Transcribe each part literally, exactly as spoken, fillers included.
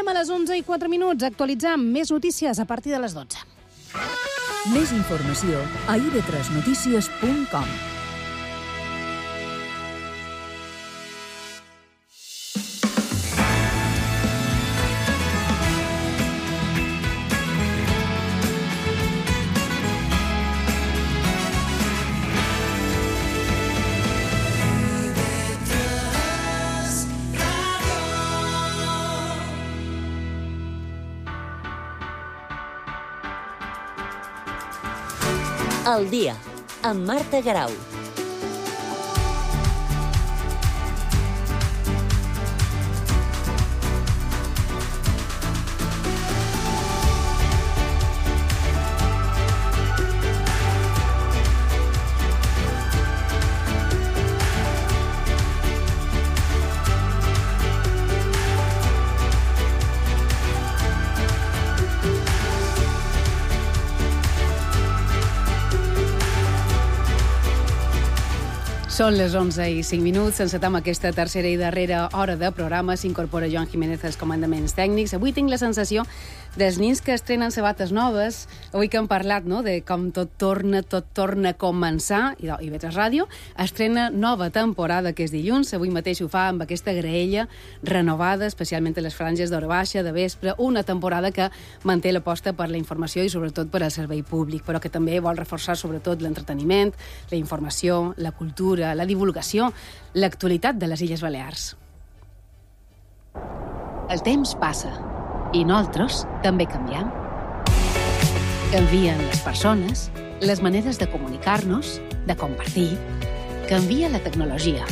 Tornem a les onze i quatre minuts a actualitzar més notícies a partir de les dotze. Més informació a i ve tres notícies punt com. El dia, amb Marta Garau. Són les onze i cinc minuts, encetam aquesta tercera i darrera hora de programa. S'incorpora Joan Jiménez als comandaments tècnics. Avui tinc la sensació dels nins que estrenen sabates noves. Avui que hem parlat, no?, de com tot torna, tot torna a començar, i i ve tres Ràdio estrena nova temporada, que és dilluns. Avui mateix ho fa amb aquesta graella renovada, especialment a les franges d'hora baixa, de vespre. Una temporada que manté l'aposta per la informació i sobretot per al servei públic, però que també vol reforçar sobretot l'entreteniment, la informació, la cultura, la divulgació, l'actualitat de les Illes Balears. El temps passa i nosaltres també canviem. Canvien les persones, les maneres de comunicar-nos, de compartir. Canvia la tecnologia,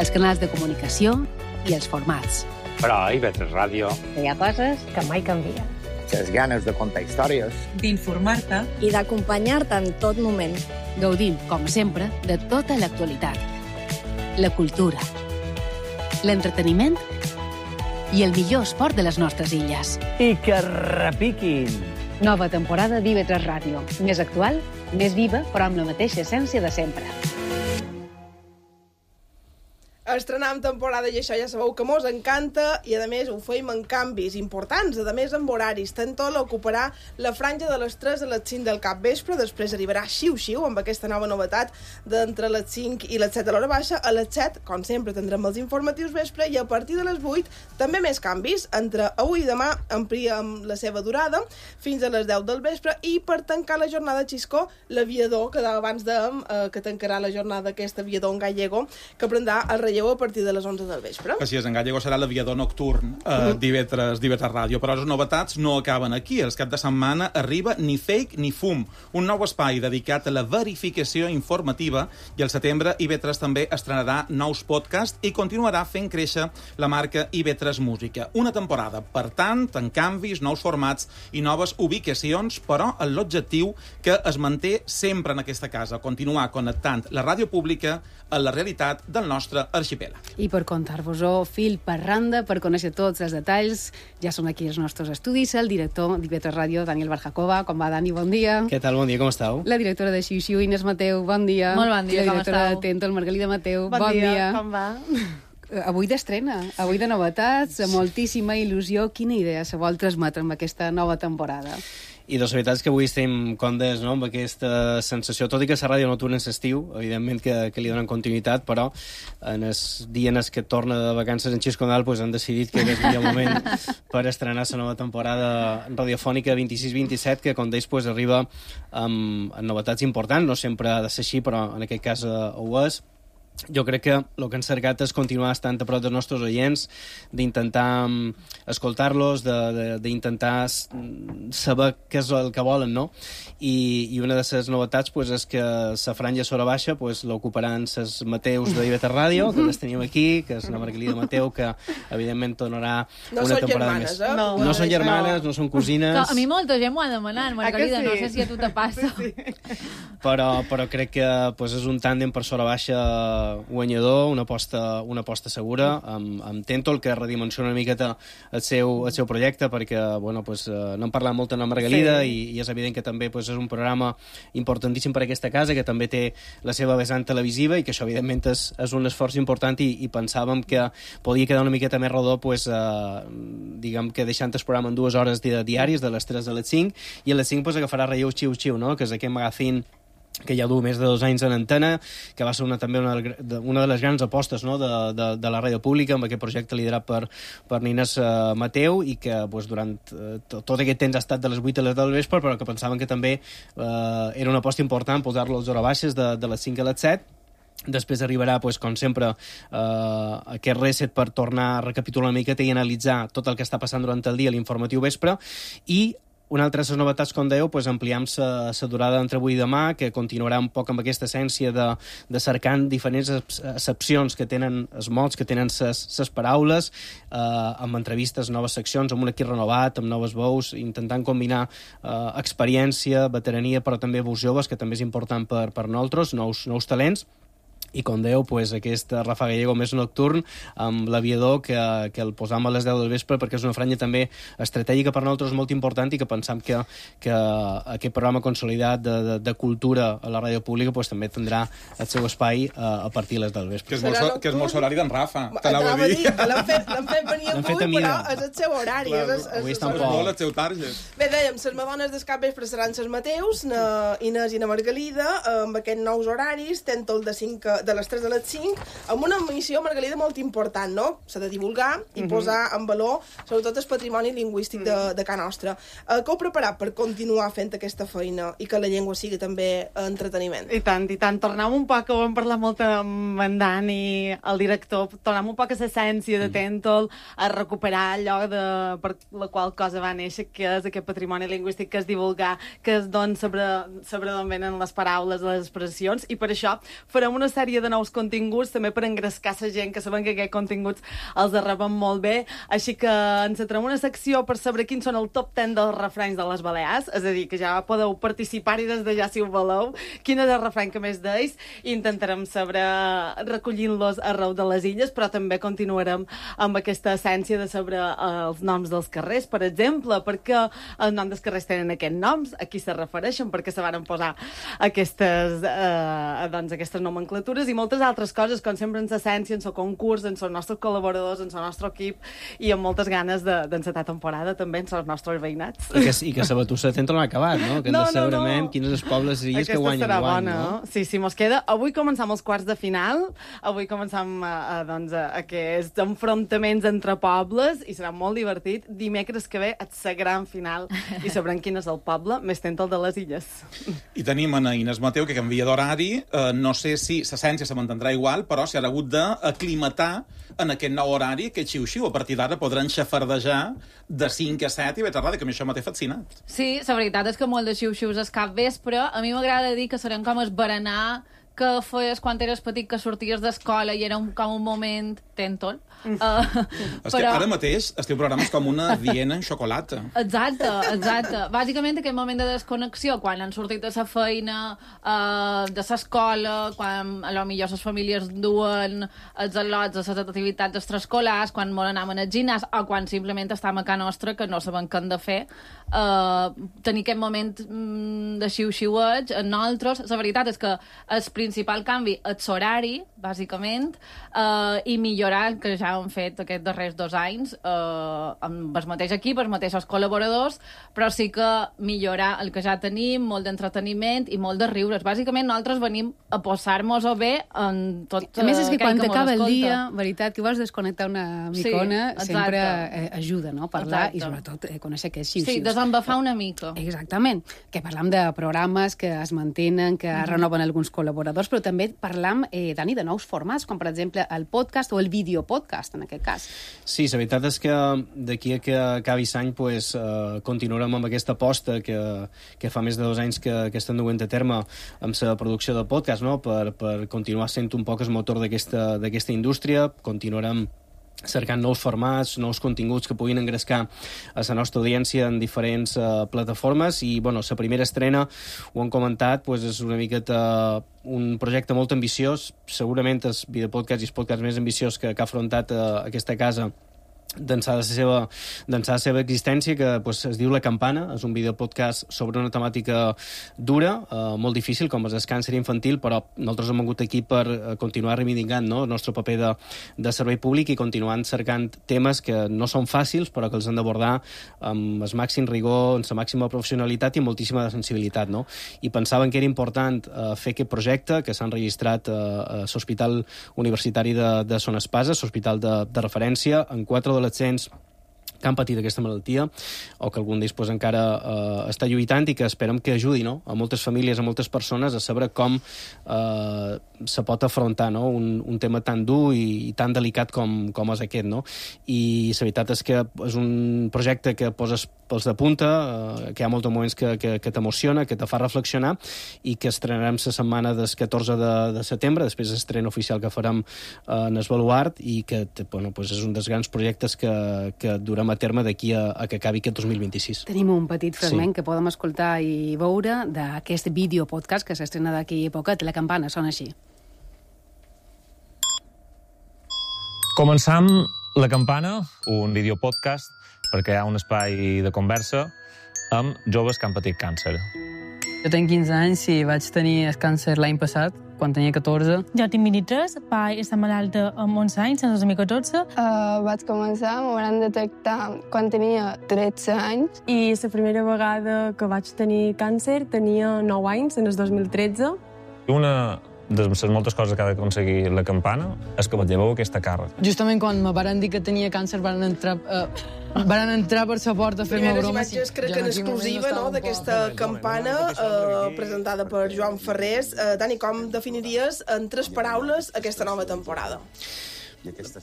els canals de comunicació i els formats. Però a i ve tres Ràdio hi ha coses que mai canvien. Les ganes de contar històries, d'informar-te i d'acompanyar-te en tot moment. Gaudim, com sempre, de tota l'actualitat. La cultura, l'entreteniment i el millor esport de les nostres illes. I que repiquin! Nova temporada d'I ve tres Ràdio. Més actual, més viva, però amb la mateixa essència de sempre. Estrenam temporada i això ja sabeu que mos encanta i a més ho feim en canvis importants, a més amb horaris. Tantol ocuparà la franja de les tres a les cinc del capvespre, després arribarà xiu-xiu amb aquesta nova novetat d'entre les cinc i les set de l'hora baixa. A les set, com sempre, tindrem els informatius vespre i a partir de les vuit també més canvis. Entre avui i demà ampliem la seva durada fins a les deu del vespre i per tancar la jornada Xisco, l'aviador, que abans dèiem eh, que tancarà la jornada aquest aviador en gallego, que prendrà el relleu a partir de les onze del vespre. Així és, en gallego serà l'aviador nocturn eh, d'I ve tres Ràdio. Però les novetats no acaben aquí. Els cap de setmana arriba Ni Fake ni Fum, un nou espai dedicat a la verificació informativa, i al setembre I ve tres també estrenarà nous podcasts i continuarà fent créixer la marca I ve tres Música. Una temporada, per tant, en canvis, nous formats i noves ubicacions, però amb l'objectiu que es manté sempre en aquesta casa, continuar connectant la ràdio pública a la realitat del nostre arxipèlag. I per contar-vos-ho fil per randa, per conèixer tots els detalls, ja són aquí els nostres estudis, el director d'I ve tres Ràdio, Daniel Barjacoba. Com va, Dani? Bon dia. Què tal? Bon dia, com esteu? La directora de Xiu-Xiu, Inés Mateu. Bon dia. Molt bon dia, com esteu? La directora de Tento, el Margalida Mateu. Bon, bon dia. dia, com va? Avui d'estrena, avui de novetats, sí. Moltíssima il·lusió. Quina idea se vol transmetre amb aquesta nova temporada? I doncs la veritat és que avui estem condes, no?, amb aquesta sensació, tot i que la ràdio no torna en l'estiu, evidentment que, que li donen continuïtat, però en els dies que torna de vacances en Xisco Nadal pues, han decidit que és el millor moment per estrenar la nova temporada radiofònica vint-i-sis vint-i-set, que com deies pues, arriba amb, amb novetats importants, no sempre ha de ser així, però en aquest cas uh, ho és. Jo crec que el que han cercat és continuar estant a prop dels nostres oients, d'intentar um, escoltar-los, d'intentar saber què és el que volen, no? I, i una de les novetats pues, és que la franja sobre baixa pues, l'ocuparan les Mateus d'I ve tres Ràdio, que les tenim aquí, que és la Margalida Mateu, que evidentment tornarà no una temporada germanes, més. Eh? No, no són germanes, no són cosines. A mi molta gent m'ho ha demanat, Margalida, sí? No sé si a tu te passa. Sí. Però, però crec que pues, és un tàndem per sobre baixa guanyador, una aposta, una aposta segura, amb, amb Tentol, que redimensiona una miqueta el seu, el seu projecte, perquè bueno, pues, uh, no hem parlat molt amb la Margalida, sí. i, i és evident que també pues, és un programa importantíssim per a aquesta casa, que també té la seva vessant televisiva, i que això, evidentment, és, és un esforç important, i, i pensàvem que podia quedar una miqueta més rodó, pues, uh, diguem que deixant el programa en dues hores diàries, de les tres a les cinc, i a les cinc pues, agafarà Relleu Xiu Xiu, no? Que és aquest magazín que ja du més de dos anys en antena, que va ser una, també una, una de les grans apostes, no? de, de, de la ràdio pública, amb aquest projecte liderat per, per Nines uh, Mateu, i que pues, durant uh, tot aquest temps ha estat de les vuit a les deu del vespre, però que pensaven que també uh, era una aposta important posar-lo a les hores baixes, de, de les cinc a les set. Després arribarà, pues, com sempre, eh, aquest reset per tornar a recapitular una miqueta i analitzar tot el que està passant durant el dia, l'informatiu vespre, i una altra de les novetats, com dèieu, pues, ampliam la durada entre avui i demà, que continuarà un poc amb aquesta essència de, de cercant diferents accepcions que tenen els mots, que tenen les paraules, eh, amb entrevistes, noves seccions, amb un equip renovat, amb noves veus, intentant combinar eh, experiència, veterania, però també veus joves, que també és important per, per nosaltres, nous, nous talents. I, com dèieu, pues, aquest Rafa Gallego més nocturn, amb l'aviador, que, que el posam a les deu del vespre, perquè és una franja també estratègica per nosaltres molt important, i que pensam que, que aquest programa consolidat de, de, de cultura a la ràdio pública pues, també tindrà el seu espai a, a partir de les del vespre. Que és molt, so, que és molt horari d'en Rafa, t'anava a dir. L'han fet, fet venir avui, però és el seu horari. Clar, és, és, avui està molt el seu target. Bé, dèiem, les madones del cap vespre seran les Mateus, na Inés i na Margalida, amb aquests nous horaris, Tentol de cinc de les tres a les cinc, amb una missió, Margalida, molt important, no? S'ha de divulgar i mm -hmm. posar en valor, sobretot, el patrimoni lingüístic mm -hmm. de, de Can Nostra. Uh, que heu preparat per continuar fent aquesta feina i que la llengua sigui també entreteniment? I tant, i tant. Tornem un poc, ho vam parlar molt amb en Dani, el director, tornem un poc a l'essència de Tentol, a recuperar allò de, per la qual cosa va néixer, que és aquest patrimoni lingüístic, que és divulgar, que és doncs sobre, sobre d'on venen les paraules, les expressions, i per això farem una sèrie de nous continguts, també per engrescar la gent, que saben que aquests continguts els arreben molt bé, així que ens centrem una secció per saber quins són el top deu dels refranys de les Balears, és a dir, que ja podeu participar-hi des de ja, si ho voleu, quin és el refrany que més deis, i intentarem saber recollint-los arreu de les illes, però també continuarem amb aquesta essència de saber els noms dels carrers, per exemple, perquè els noms dels carrers tenen aquests noms, a qui se refereixen, perquè se van posar aquestes, eh, doncs, aquestes nomenclatures, i moltes altres coses, com sempre en l'essència, en el concurs, en els nostres col·laboradors, en el nostre equip, i amb moltes ganes d'encetar temporada també en els nostres veïnats. I que, i que la batussa de Tentol no ha acabat, no? Que hem no, de saber no, no. quins són els pobles i illes que guanyen serà guany, bona, no? Sí, sí, mos queda. Avui començam els quarts de final, avui començam a, a, doncs, a, a aquests enfrontaments entre pobles, i serà molt divertit. Dimecres que ve és la gran final, i sabrem quin és el poble més Tentol de les illes. I tenim a Inés Mateu, que canvia d'horari. Eh, no sé si l'essència se mantindrà igual, però s'ha hagut d'aclimatar en aquest nou horari, aquest xiu-xiu. A partir d'ara podran xafardejar de cinc a set i ve tarda, que a mi això m'ha fascinat. Sí, la veritat és que molt de xiu-xius és cap vespre. A mi m'agrada dir que serem com el berenar que feies quan eres petit, que sorties d'escola i era un, com un moment Tentol. Uh, és però... que ara mateix el teu programa és com una Viena en xocolata. Exacte, exacte. Bàsicament aquest moment de desconnexió, quan han sortit de la feina, uh, de l'escola, quan a lo millor les famílies duen els al·lots a les activitats extraescolars, quan molt anaven al gimnàs, o quan simplement estem a casa nostra que no sabem què hem de fer. Uh, tenir aquest moment mm, de xiu-xiueig en nosaltres. La veritat és que el principal canvi és l'horari, bàsicament, uh, i millorar, que ja hem fet aquests darrers dos anys, uh, amb el mateix equip, els mateixos col·laboradors, però sí que millorar el que ja tenim, molt d'entreteniment i molt de riures. Bàsicament, nosaltres venim a posar-nos-ho bé en tot uh, a més, és que quan t'acaba el escolta. dia, veritat, que vols desconnectar una micona, sí, sempre eh, ajuda, no?, parlar exacte. I sobretot eh, conèixer aquests xiu-xius. Sí, desembafar una mica. Exactament. Que parlam de programes que es mantenen, que mm-hmm. renoven alguns col·laboradors, però també parlam, eh, Dani, de nous formats, com per exemple el podcast o el videopodcast, en aquest cas. Sí, la veritat és que d'aquí a que acabi l'any pues, eh, continuarem amb aquesta aposta que, que fa més de dos anys que, que estem duent a terme amb la producció del podcast, no? per, per continuar sent un poc el motor d'aquesta indústria. Continuarem cercant nous formats, nous continguts que puguin engrescar a la nostra audiència en diferents uh, plataformes i, bueno, la primera estrena, ho hem comentat, pues, és una miqueta un projecte molt ambiciós, segurament el videopodcast i el podcast més ambiciós que, que ha afrontat uh, aquesta casa d'ençà de la seva, d'ençà de la seva existència, que pues, es diu La Campana, és un videopodcast sobre una temàtica dura, eh, molt difícil, com és el càncer infantil, però nosaltres hem vingut aquí per eh, continuar reivindicant, no?, el nostre paper de, de servei públic i continuant cercant temes que no són fàcils, però que els han d'abordar amb el màxim rigor, amb la màxima professionalitat i moltíssima sensibilitat, no? I pensaven que era important eh, fer aquest projecte, que s'ha enregistrat eh, a l'Hospital Universitari de, de Son Espasa, l'hospital de, de referència, en quatre adolescents que han patit aquesta malaltia o que algun d'ells pues, encara eh, està lluitant i que esperem que ajudi, no?, a moltes famílies, a moltes persones a saber com eh, se pot afrontar, no?, un, un tema tan dur i, i tan delicat com, com és aquest, no? I la veritat és que és un projecte que poses pels de punta, eh, que hi ha molts moments que, que, que t'emociona, que te fa reflexionar i que estrenarem la setmana del catorze de, de setembre, després de l'estrena oficial que farem eh, en el Baluart i que bueno, pues és un dels grans projectes que, que durem a terme d'aquí a, a que acabi aquest dos mil vint-i-sis. Tenim un petit fragment sí. que podem escoltar i veure d'aquest videopodcast que s'estrena d'aquí a poquet. La campana sona així. Començam La Campana, un videopodcast per crear un espai de conversa amb joves que han patit càncer. Jo tenc quinze anys i vaig tenir el càncer l'any passat, quan tenia catorze. Jo tinc vint-i-tres, vaig estar malalta amb onze anys, en dos mil catorze. Uh, vaig començar, m'ho van detectar quan tenia tretze anys. I la primera vegada que vaig tenir càncer tenia nou anys, en el dos mil tretze. Una de les moltes coses que ha d'aconseguir La Campana és que lleveu aquesta càrrega. Justament quan me van dir que tenia càncer van entrar... Uh, Van entrar per la porta a fer-me bromes. Primeres imatges, crec que en exclusiva, no?, d'aquesta campana eh, presentada per Joan Ferrés. Eh, Dani, com definiries en tres paraules aquesta nova temporada?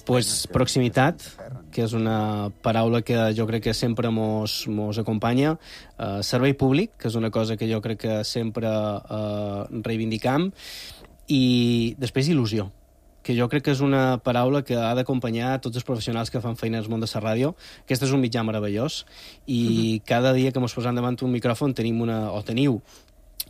Pues proximitat, que és una paraula que jo crec que sempre mos, mos acompanya. Uh, servei públic, que és una cosa que jo crec que sempre uh, reivindicam. I després il·lusió, que jo crec que és una paraula que ha d'acompanyar tots els professionals que fan feina al món de la ràdio. Aquest és un mitjà meravellós i uh-huh. cada dia que ens posem davant un micròfon tenim una, o teniu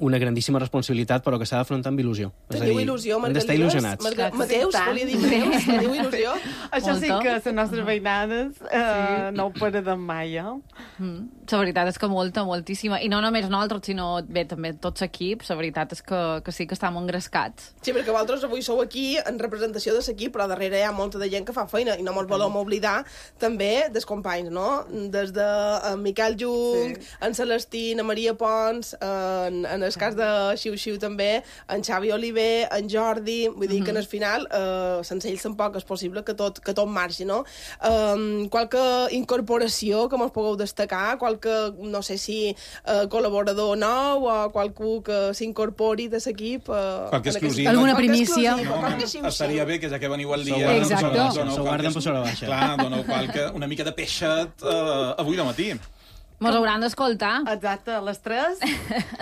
una grandíssima responsabilitat, però que s'ha d'afrontar amb il·lusió. Teniu il·lusió, hem d'estar il·lusionats. Marga... Mateus, volia dir Mateus, teniu il·lusió? Això sí que les nostres veïnades eh, sí. no ho perdem mai, eh? Mm. La veritat és que molta, moltíssima. I no només nosaltres, sinó bé, també tots equips. La veritat és que, que sí que estem engrescats. Sí, perquè vosaltres avui sou aquí en representació de l'equip, però darrere hi ha molta de gent que fa feina i no ens volem oblidar també dels companys, no? Des de en Miquel Jung, sí. en Celestí, en Maria Pons, en, en el cas de Xiu Xiu també, en Xavi Oliver, en Jordi, vull dir uh-huh. que en el final eh, sense ells tampoc és possible que tot, que tot marxi, no? Um, qualque incorporació que mos pugueu destacar, qualque, no sé si eh, col·laborador nou o qualcú que s'incorpori de l'equip. Eh, qualque exclusiva. Alguna primícia. No, estaria bé que ja que veniu al dia... Exacte. S'ho guarden per sobre baixa. Clar, doneu qualque, una mica de peixet uh, avui de matí. Mos hauran d'escoltar. Exacte, a les tres,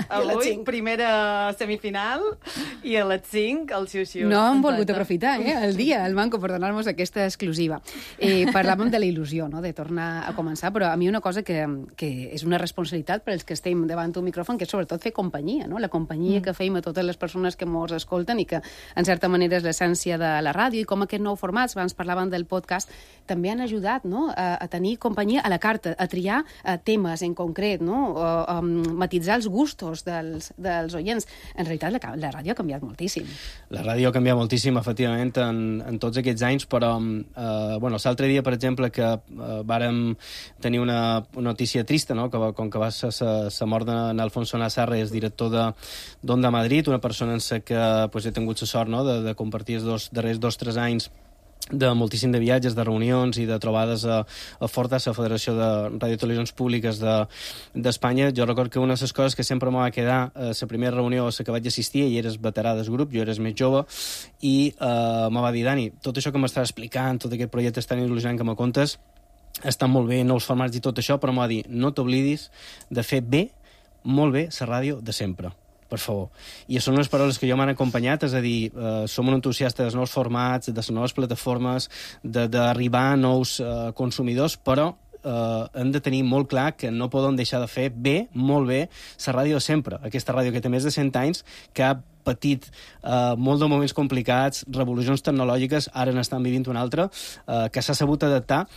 avui, primera semifinal, i a les cinc, el xiu-xiu. No hem volgut aprofitar, eh, el dia, el Manco, per donar-nos aquesta exclusiva. Eh, parlàvem de la il·lusió, no?, de tornar a començar, però a mi una cosa que, que és una responsabilitat per als que estem davant un micròfon, que és sobretot fer companyia, no?, la companyia mm. que feim a totes les persones que mos escolten i que, en certa manera, és l'essència de la ràdio, i com aquest nou format, abans parlàvem del podcast, també han ajudat, no?, a, a tenir companyia a la carta, a triar a temes en concret, no? O, um, matitzar els gustos dels, dels oients. En realitat, la, la ràdio ha canviat moltíssim. La ràdio ha canviat moltíssim, efectivament, en, en tots aquests anys, però eh, bueno, l'altre dia, per exemple, que eh, vàrem tenir una, una notícia trista, no?, que, com que va ser la mort d'Alfonso Nazarre, és director d'Onda Madrid, una persona en la que pues, he tingut la sort, no?, de, de compartir els dos, darrers dos o tres anys de moltíssim de viatges, de reunions i de trobades a, a Fortas, a la Federació de Ràdio i Televisions Públiques d'Espanya. De, jo recordo que una de les coses que sempre m'ha quedar a la primera reunió a la que vaig assistir, i eres veterà del grup, jo eres més jove, i eh, me va dir, Dani, tot això que m'estàs explicant, tot aquest projecte tan il·lusionant que me contes, està molt bé, nous formats i tot això, però m'ha dit, no t'oblidis de fer bé, molt bé, la ràdio de sempre. per favor. I són unes paraules que jo m'han acompanyat, és a dir, eh, som un entusiasta dels nous formats, de les noves plataformes, d'arribar a nous eh, consumidors, però eh, hem de tenir molt clar que no podem deixar de fer bé, molt bé, la ràdio de sempre. Aquesta ràdio que té més de cent anys, que ha patit eh, molt de moments complicats, revolucions tecnològiques, ara n'estan vivint una altra, eh, que s'ha sabut adaptar,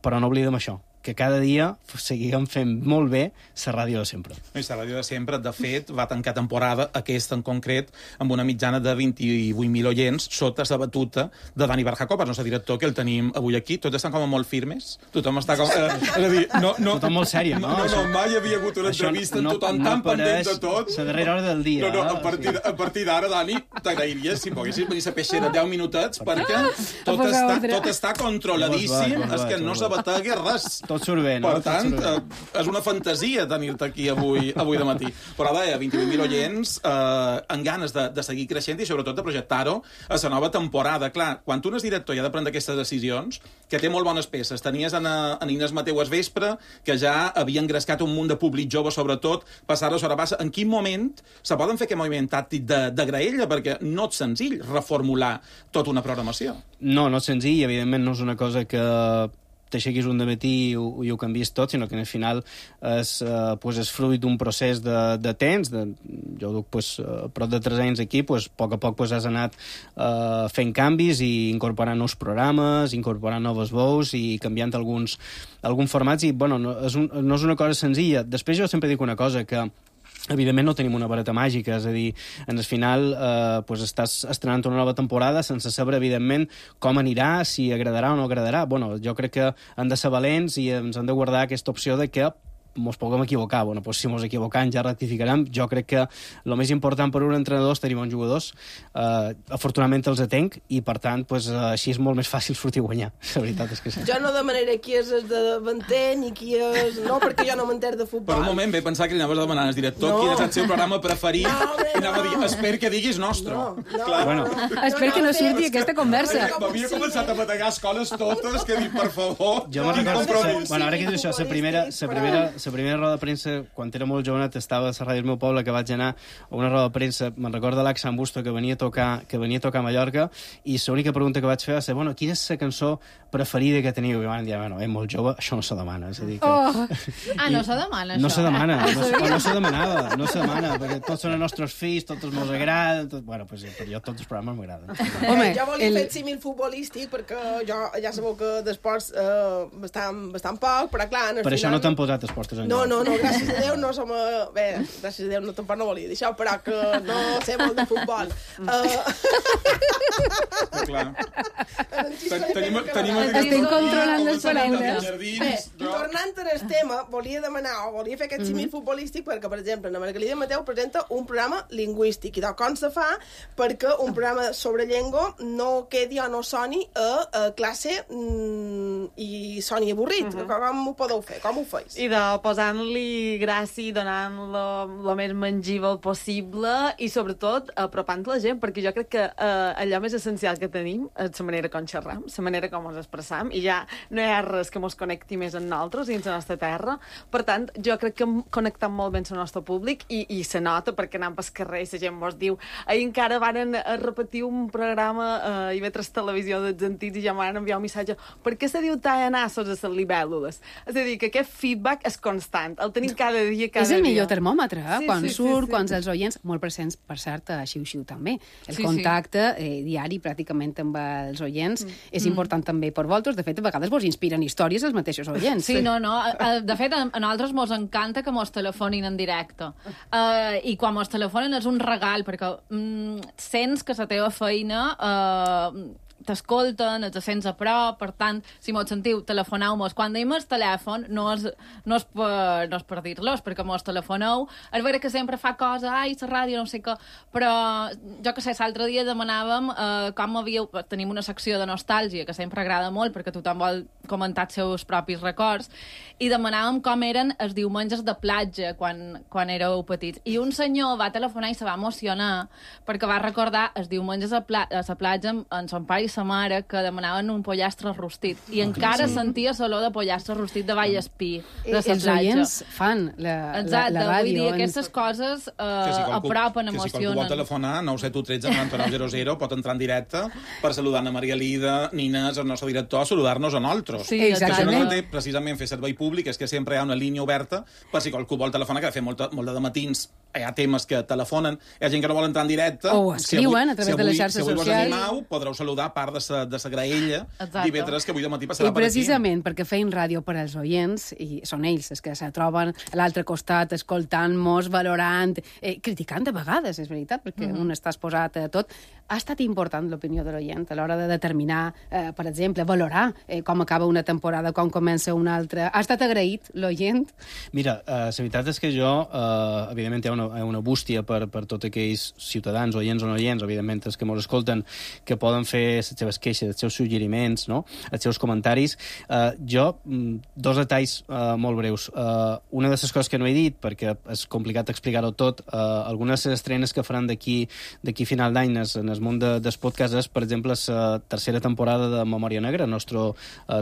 però no oblidem això, que cada dia seguim fent molt bé la ràdio de sempre. La ràdio de sempre, de fet, va tancar temporada, aquesta en concret, amb una mitjana de vint-i-vuit mil oients, sota la batuta de Dani Barjacob, el nostre director, que el tenim avui aquí. Tots estan com a molt firmes. Tothom està com... Eh, és a dir, no, no, tothom molt sèrie, no? No, no, mai havia hagut una això entrevista, no, tothom no tan pendent de tot. La darrera hora del dia. No, no, a partir, a partir d'ara, Dani, t'agrairia si poguessis venir a peixera deu minutets, perquè tot està, tot està controladíssim, és que no s'abategui res. Tot surt bé, no? Per tant, eh, és una fantasia tenir-te aquí avui, avui de matí. Però deia, vint-i-vuit mil oients, eh, amb ganes de, de seguir creixent i sobretot de projectar-ho a la nova temporada. Clar, quan un és director i ha de prendre aquestes decisions, que té molt bones peces. Tenies en, en Inés Mateu al vespre, que ja havia engrescat un munt de públic jove, sobretot, passar-ho a Sorabassa. En quin moment se poden fer aquest moviment tàctic de, de graella? Perquè no és senzill reformular tota una programació. No, no és senzill, evidentment no és una cosa que t'aixequis un dematí i ho, i ho canvies tot, sinó que al final és, eh, pues és fruit d'un procés de, de temps. De, jo duc pues, prop de tres anys aquí, pues, a poc a poc pues, has anat eh, fent canvis i incorporant nous programes, incorporant noves veus i canviant alguns, alguns formats. I, bueno, no és, un, no és una cosa senzilla. Després jo sempre dic una cosa, que evidentment no tenim una vareta màgica, és a dir, en el final eh, pues estàs estrenant una nova temporada sense saber, evidentment, com anirà, si agradarà o no agradarà. Bueno, jo crec que hem de ser valents i ens hem de guardar aquesta opció de que mos puguem equivocar. Bueno, pues si mos equivocam ja rectificarem. Jo crec que el més important per un entrenador és tenir bons jugadors. Uh, afortunadament els atenc i, per tant, pues, uh, així és molt més fàcil sortir a guanyar. La veritat és que sí. Jo no demanaré qui és el de davanter ni qui és... No, perquè jo no m'entero de futbol. Per un moment ve pensar que li anaves demanant al director no. quin és el seu programa preferit no, home, i anava no. a dir, espero que diguis nostre. No, no, Clar. Bueno. no, no. Espero que no surti aquesta conversa. M'havia començat a bategar escoles totes, que dic, per favor, jo me'n recordo, bueno, ara que dius això, la primera, la primera, la primera roda de premsa, quan era molt jovenet, estava a la ràdio del meu poble, que vaig anar a una roda de premsa, me'n recordo l'Ax Busto, que venia a tocar, que venia a tocar a Mallorca, i l'única pregunta que vaig fer va ser, bueno, quina és la cançó preferida que teniu? I van dir, bueno, és molt jove, això no se demana. És a dir que... oh. Ah, no se demana, això? No se demana, no, no, no se demanava, no se demana, perquè tots són els nostres fills, tots els meus agraden, tot... bueno, pues, per jo tots els programes m'agraden. Home, jo volia el... fer el símil futbolístic, perquè jo ja sabeu que d'esports eh, bastant, bastant poc, però clar... Per final... això no t'han posat esports en No, no, no, gràcies a Déu no som... A... Bé, gràcies a Déu no, tampoc no volia dir això, però que no sé molt de futbol. Uh... Clar. Tenim, tenim estem controlant les paraules. Bé, tornant al tema, volia demanar o volia fer aquest símil futbolístic perquè, per exemple, la Margalida Mateu presenta un programa lingüístic i de com se fa perquè un programa sobre llengua no quedi o no soni a, a classe mm, i soni avorrit. Uh -huh. Com ho podeu fer? Com ho feis? I de posant-li gràcia i donant-lo el més mengível possible i, sobretot, apropant la gent, perquè jo crec que eh, allò més essencial que tenim és la manera com xerram, la manera com ens expressam, i ja no hi ha res que mos connecti més amb nosaltres i amb la nostra terra. Per tant, jo crec que hem connectat molt bé amb el nostre públic i, i se nota perquè anant pel carrer i la gent mos diu ahir encara van repetir un programa eh, i veure televisió dels antics i ja m'han enviat un missatge per què se diu tallanassos a les libèl·lules? És a dir, que aquest feedback és constant, el tenim cada dia, cada dia. És el millor termòmetre, eh? Sí, quan sí, surt, sí, sí. quan els oients, molt presents, per cert, a Xiu-Xiu també. El Sí, contacte eh, diari pràcticament amb els oients mm. és important també per vosaltres. De fet, a vegades vos inspiren històries els mateixos oients. Sí, no, no. De fet, a nosaltres mos encanta que mos telefonin en directe. Uh, I quan mos telefonen és un regal, perquè mm, sents que la teva feina... Uh, t'escolten, els sents a prop, per tant, si mos sentiu, telefoneu-mos. Quan deim el telèfon, no és, no és per, no és per dir-los, perquè mos telefoneu. És vera que sempre fa cosa, ai, la ràdio, no sé què, però jo que sé, l'altre dia demanàvem eh, com havíeu... Tenim una secció de nostàlgia que sempre agrada molt, perquè tothom vol comentar els seus propis records, i demanàvem com eren els diumenges de platja quan, quan éreu petits. I un senyor va telefonar i se va emocionar perquè va recordar els diumenges a, pla a la platja amb, amb son pare i sa mare que demanaven un pollastre rostit. I oh, encara sí. sentia l'olor de pollastre rostit de Vallespí, de la platja. Els oients fan la, Exacte, la, la ràdio. Vull dir, aquestes coses eh, si qualcú, apropen, que emocionen. si qualcú vol telefonar, nou set u tretze noranta nou zero zero, pot entrar en directe per saludar Ana Maria Lida, Nines, el nostre director, saludar-nos a nosaltres. Sí, exactament. Això no té precisament fer servei públic, és que sempre hi ha una línia oberta per si qualcú vol telefonar, que de fer molt, molt de matins hi ha temes que telefonen, hi ha gent que no vol entrar en directe. O escriuen a través si avui, de les xarxes si avui socials. Si avui vos animau, podreu saludar a part de sa, de sa graella divendres, que avui de matí passarà I per aquí. precisament perquè feim ràdio per als oients, i són ells els que se troben a l'altre costat, escoltant-nos, valorant, eh, criticant de vegades, és veritat, perquè mm -hmm. un està exposat a tot. Ha estat important l'opinió de l'oient a l'hora de determinar, eh, per exemple, valorar eh, com acaba una temporada, com comença una altra. Ha estat agraït l'oient? Mira, eh, la veritat és que jo, eh, evidentment, hi ha una, hi ha una bústia per, per tots aquells ciutadans, oients o no oients, evidentment, els que ens escolten, que poden fer les seves queixes, els seus suggeriments, no? Els seus comentaris. Eh, jo, dos detalls eh, molt breus. Eh, una de les coses que no he dit, perquè és complicat explicar-ho tot, eh, algunes de les estrenes que faran d'aquí d'aquí final d'any en el món de, dels podcasts és, per exemple, la tercera temporada de Memòria Negra, el nostre uh,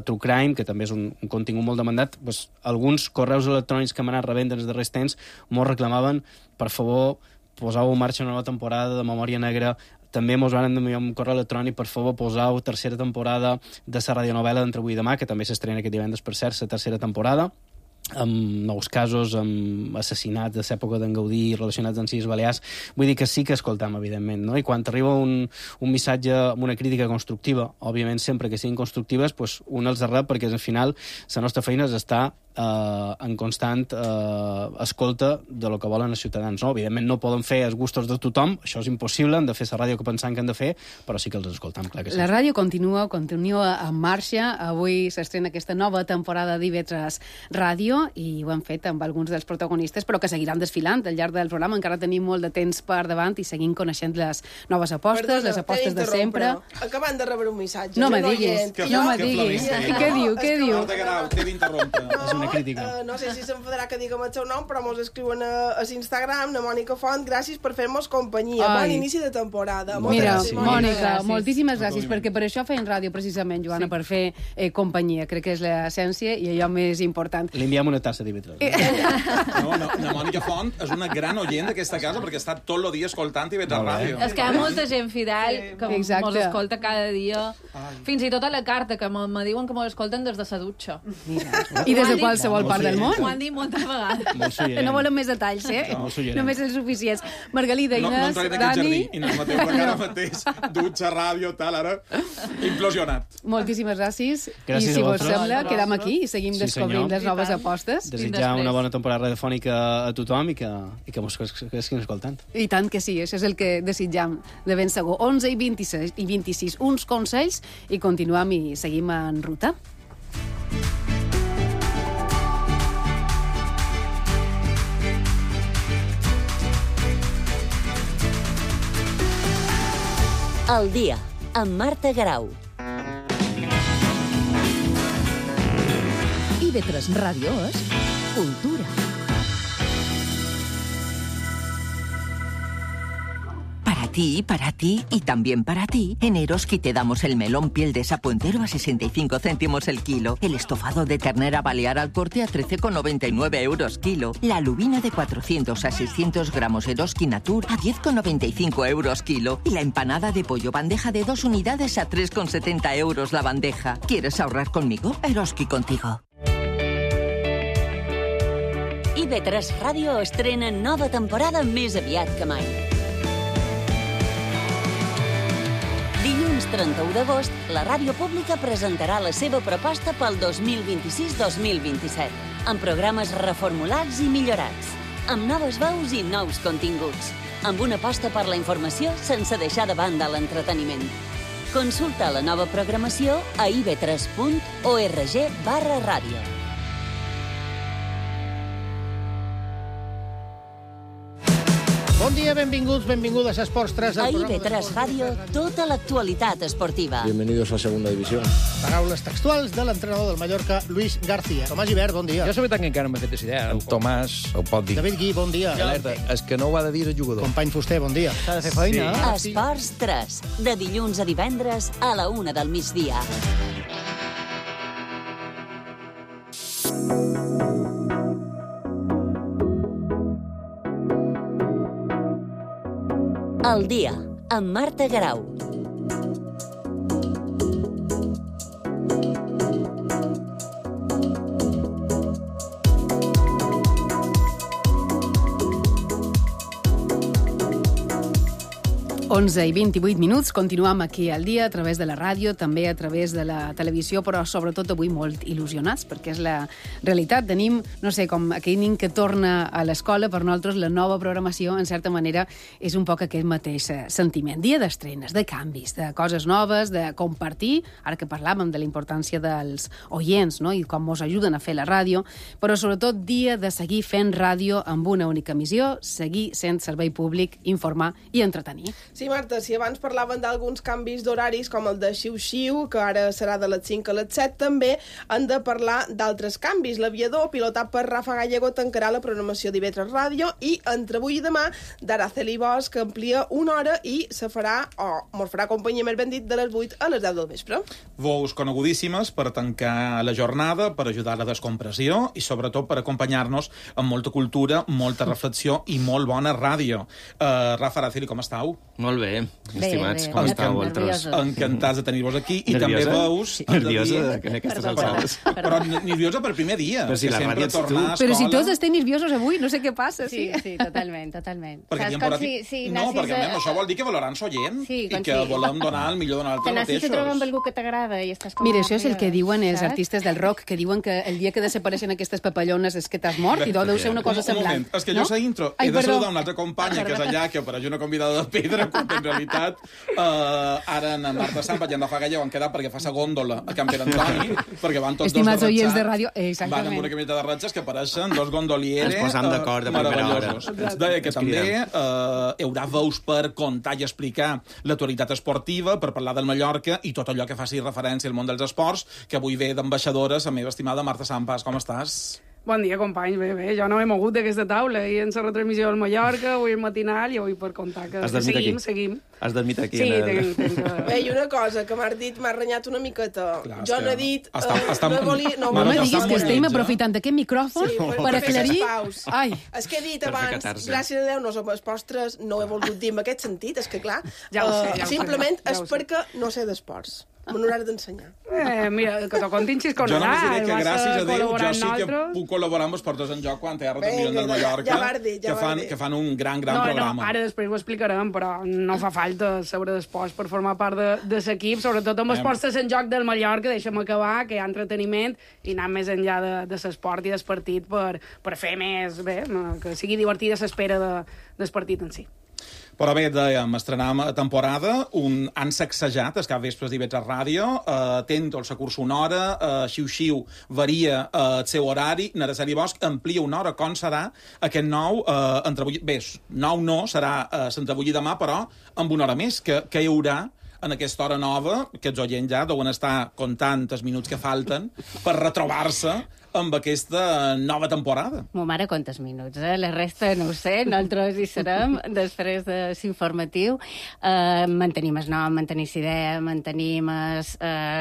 True Crime, que també és un, un contingut molt demandat. Pues, alguns correus electrònics que m'han anat rebent en els darrers temps molt reclamaven, per favor, poseu en marxa una nova temporada de Memòria Negra. També mos van enviar un correu electrònic, per favor, poseu tercera temporada de la radionovela d'Entre avui i demà, que també s'estrena aquest divendres, per cert, la tercera temporada, amb nous casos, amb assassinats de l'època d'en Gaudí relacionats amb Illes Balears. Vull dir que sí que escoltam, evidentment, no? I quan t'arriba un, un missatge amb una crítica constructiva, òbviament sempre que siguin constructives, pues, un els rep, perquè al final la nostra feina és estar eh, en constant eh, escolta de lo que volen els ciutadans, no? Evidentment no poden fer els gustos de tothom, això és impossible, han de fer la ràdio que pensam que han de fer, però sí que els escoltam, clar que sí. La ràdio continua, continua en marxa. Avui s'estrena aquesta nova temporada d'I V tres Ràdio, i ho hem fet amb alguns dels protagonistes, però que seguiran desfilant al llarg del programa. Encara tenim molt de temps per davant i seguim coneixent les noves apostes, Perdona, les apostes de sempre. Acabant de rebre un missatge. No me diguis, no me diguis. Què diu, què diu? Marta Guerau, t'he d'interrompre. És una crítica. Uh, no sé si s'enfadarà que diguem el seu nom, però mos escriuen a, a l'Instagram, a Mònica Font, gràcies per fer-nos companyia. Ai. Bon inici de temporada. Mira, gràcies, Mònica, gràcies. moltíssimes gràcies, perquè per això feien ràdio, precisament, Joana, sí. per fer eh, companyia. Crec que és l'essència i allò més important. Li enviem una tassa d'I V tres. No, no, la Mònica Font és una gran oient d'aquesta casa perquè està tot el dia escoltant I V tres Ràdio. És que hi ha molta gent fidel que Exacte. mos escolta cada dia. Ai. Fins i tot a la carta, que me, me diuen que mos escolten des de sa dutxa. Mira. I des de qualsevol part del món. Ho han dit moltes vegades. No volen més detalls, eh? No, Només els suficients. Margalida, No, no Inés, entraré en aquest Dani... jardí. Inés Mateu, perquè ara mateix, dutxa, ràdio, tal, ara, implosionat. Moltíssimes gràcies. Gràcies I si a vos vosaltres. sembla, quedam aquí i seguim Sí, descobrint senyor. les noves apostes. Desitjar una bona temporada radiofònica a tothom i que, i que mos estiguin escoltant. I tant que sí, això és el que desitjam de ben segur. onze i vint-i-sis, i vint-i-sis, uns consells i continuem i seguim en ruta. Al dia, amb Marta Guerau. I V tres Ràdio és cultura. Para ti, para ti y también para ti, en Eroski te damos el melón piel de sapo entero a sesenta y cinco céntimos el kilo, el estofado de ternera balear al corte a trece con noventa y nueve euros kilo, la lubina de cuatrocientos a seiscientos gramos Eroski Natur a diez con noventa y cinco euros kilo y la empanada de pollo bandeja de dos unidades a tres con setenta euros la bandeja. ¿Quieres ahorrar conmigo? Eroski contigo. I V tres Ràdio estrena nova temporada més aviat que mai. Dilluns trenta-u d'agost, la ràdio pública presentarà la seva proposta pel dos mil vint-i-sis dos mil vint-i-set, amb programes reformulats i millorats, amb noves veus i nous continguts, amb una aposta per la informació sense deixar de banda l'entreteniment. Consulta la nova programació a i v tres punt org barra ràdio. Bon dia, benvinguts, benvingudes a Esports tres. A I B tres Ràdio, tota l'actualitat esportiva. Bienvenidos a Segunda División. Paraules textuals de l'entrenador del Mallorca, Luis García. Tomàs Gibert, bon dia. Jo la veritat que encara no m'he fet aquesta idea. En Tomàs ho pot dir. David Gui, bon dia. Alerta, és que no ho ha de dir el jugador. Company Fuster, bon dia. S'ha de fer feina. Sí. Esports tres, de dilluns a divendres a la una del migdia. El dia, amb Marta Garau. onze i vint-i-vuit minuts, continuem aquí al dia a través de la ràdio, també a través de la televisió, però sobretot avui molt il·lusionats, perquè és la realitat. Tenim, no sé, com aquell nin que torna a l'escola, per nosaltres la nova programació, en certa manera, és un poc aquest mateix sentiment. Dia d'estrenes, de canvis, de coses noves, de compartir, ara que parlàvem de la importància dels oients, no?, i com ens ajuden a fer la ràdio, però sobretot dia de seguir fent ràdio amb una única missió, seguir sent servei públic, informar i entretenir. Sí, Marta, si abans parlaven d'alguns canvis d'horaris, com el de xiu-xiu, que ara serà de les cinc a les set, també han de parlar d'altres canvis. L'aviador, pilotat per Rafa Gallego, tancarà la programació d'I B tres Ràdio i entre avui i demà d'Araceli Bosch, que amplia una hora i se farà, o mos farà companyia, més ben dit, de les vuit a les deu del vespre. Veus conegudíssimes per tancar la jornada, per ajudar a la descompressió i sobretot per acompanyar-nos amb molta cultura, molta reflexió i molt bona ràdio. Uh, Rafa, Araceli, com estàu? Molt bé, estimats, bé, com bé. estàu vosaltres? Encantats de tenir-vos aquí. I nerviosa? també veus... Sí. Nerviosa en aquestes alçades? Però nerviosa per primer dia. Però si la ràdio ets tu. Però si tots estem nerviosos avui, no sé què passa. Sí, sí, sí totalment, totalment. Perquè Saps com com si, si, si no, nassis perquè a... a això vol dir que valoran s'oient Sí, i com que si- volem donar el millor de Que nosaltres nassis a mateixos. trobar amb algú que t'agrada i estàs com... Mira, això és el que diuen els saps? artistes del rock, que diuen que el dia que desapareixen aquestes papallones és que t'has mort, i deu ser una cosa Un- un semblant. moment, és que jo no? a intro Ai, he de perdó. saludar una altra companya, que és allà, que apareix una convidada de pedra, quan en realitat uh, ara en Marta Sampa i en Rafa Gallego han quedat perquè fa sa gòndola a Can Pere Antoni, perquè van tots Estimats dos oients de ratxats, ràdio, van exactament. amb una camiseta de ratxes que apareixen dos gondolieres Ens posam d'acord a primera hora. meravellosos. Deia que Ens també cridem. uh, hi haurà veus per contar i explicar l'actualitat esportiva, per parlar del Mallorca i tot allò que faci referència al món dels esports, que avui ve d'ambaixadores, la meva estimada Marta Sampas. Com estàs? Bon dia, companys. Bé, bé, jo no m'he mogut d'aquesta taula. Ahir en la retransmissió del Mallorca, avui el matinal i avui per contar que, Has que dormit seguim, aquí? seguim. Has dormit aquí? Sí, en el... tenc, tenc que... Bé, i una cosa, que m'has dit, m'has renyat una miqueta. Clar, jo és no he que dit... està- eh, està- no volia... No, No me volia- diguis que estem monetza. aprofitant d'aquest micròfon Sí, per- per per aclarir... fer paus. Ai, És que he dit Per fer abans, catarse. gràcies a Déu, no som els postres, no ho he volgut dir en aquest sentit, és que clar, Ja ho sé, eh, ja ho sé, simplement ja és ho sé. perquè no sé d'esports. Me n'hauràs d'ensenyar. Eh, mira, que t'ho contin Xisco Jo només diré Nadal. que vas gràcies a Déu jo col·laborar sí amb que nosaltres. puc col·laborar amb els portes en joc quan té retransmissió Vinga, del ja- Mallorca, ja vas dir, ja que, vas fan, dir. que fan un gran, gran no, programa. no, ara després ho explicarem, però no fa falta saber d'esports per formar part de, de l'equip, sobretot amb els Em. portes en joc del Mallorca, deixa'm acabar, que hi ha entreteniment i anar més enllà de, de l'esport i del partit per, per fer més, bé, no, que sigui divertida l'espera de, del partit en si. Però bé, dèiem, estrenam temporada, un, han sacsejat els cap vespres d'I B tres Ràdio, eh, tento el securs una hora, eh, xiu-xiu varia eh, el seu horari, Naraceli Bosch amplia una hora, com serà aquest nou, eh, entre avui, bé, nou no, serà eh, entre avui i demà, però amb una hora més, que, que hi haurà en aquesta hora nova, que els oients ja deuen estar comptant els minuts que falten per retrobar-se amb aquesta nova temporada. Mo mare, quantes minuts, eh? La resta no ho sé, nosaltres hi serem després de l'informatiu. Eh, mantenim el nom, mantenim l'idea, mantenim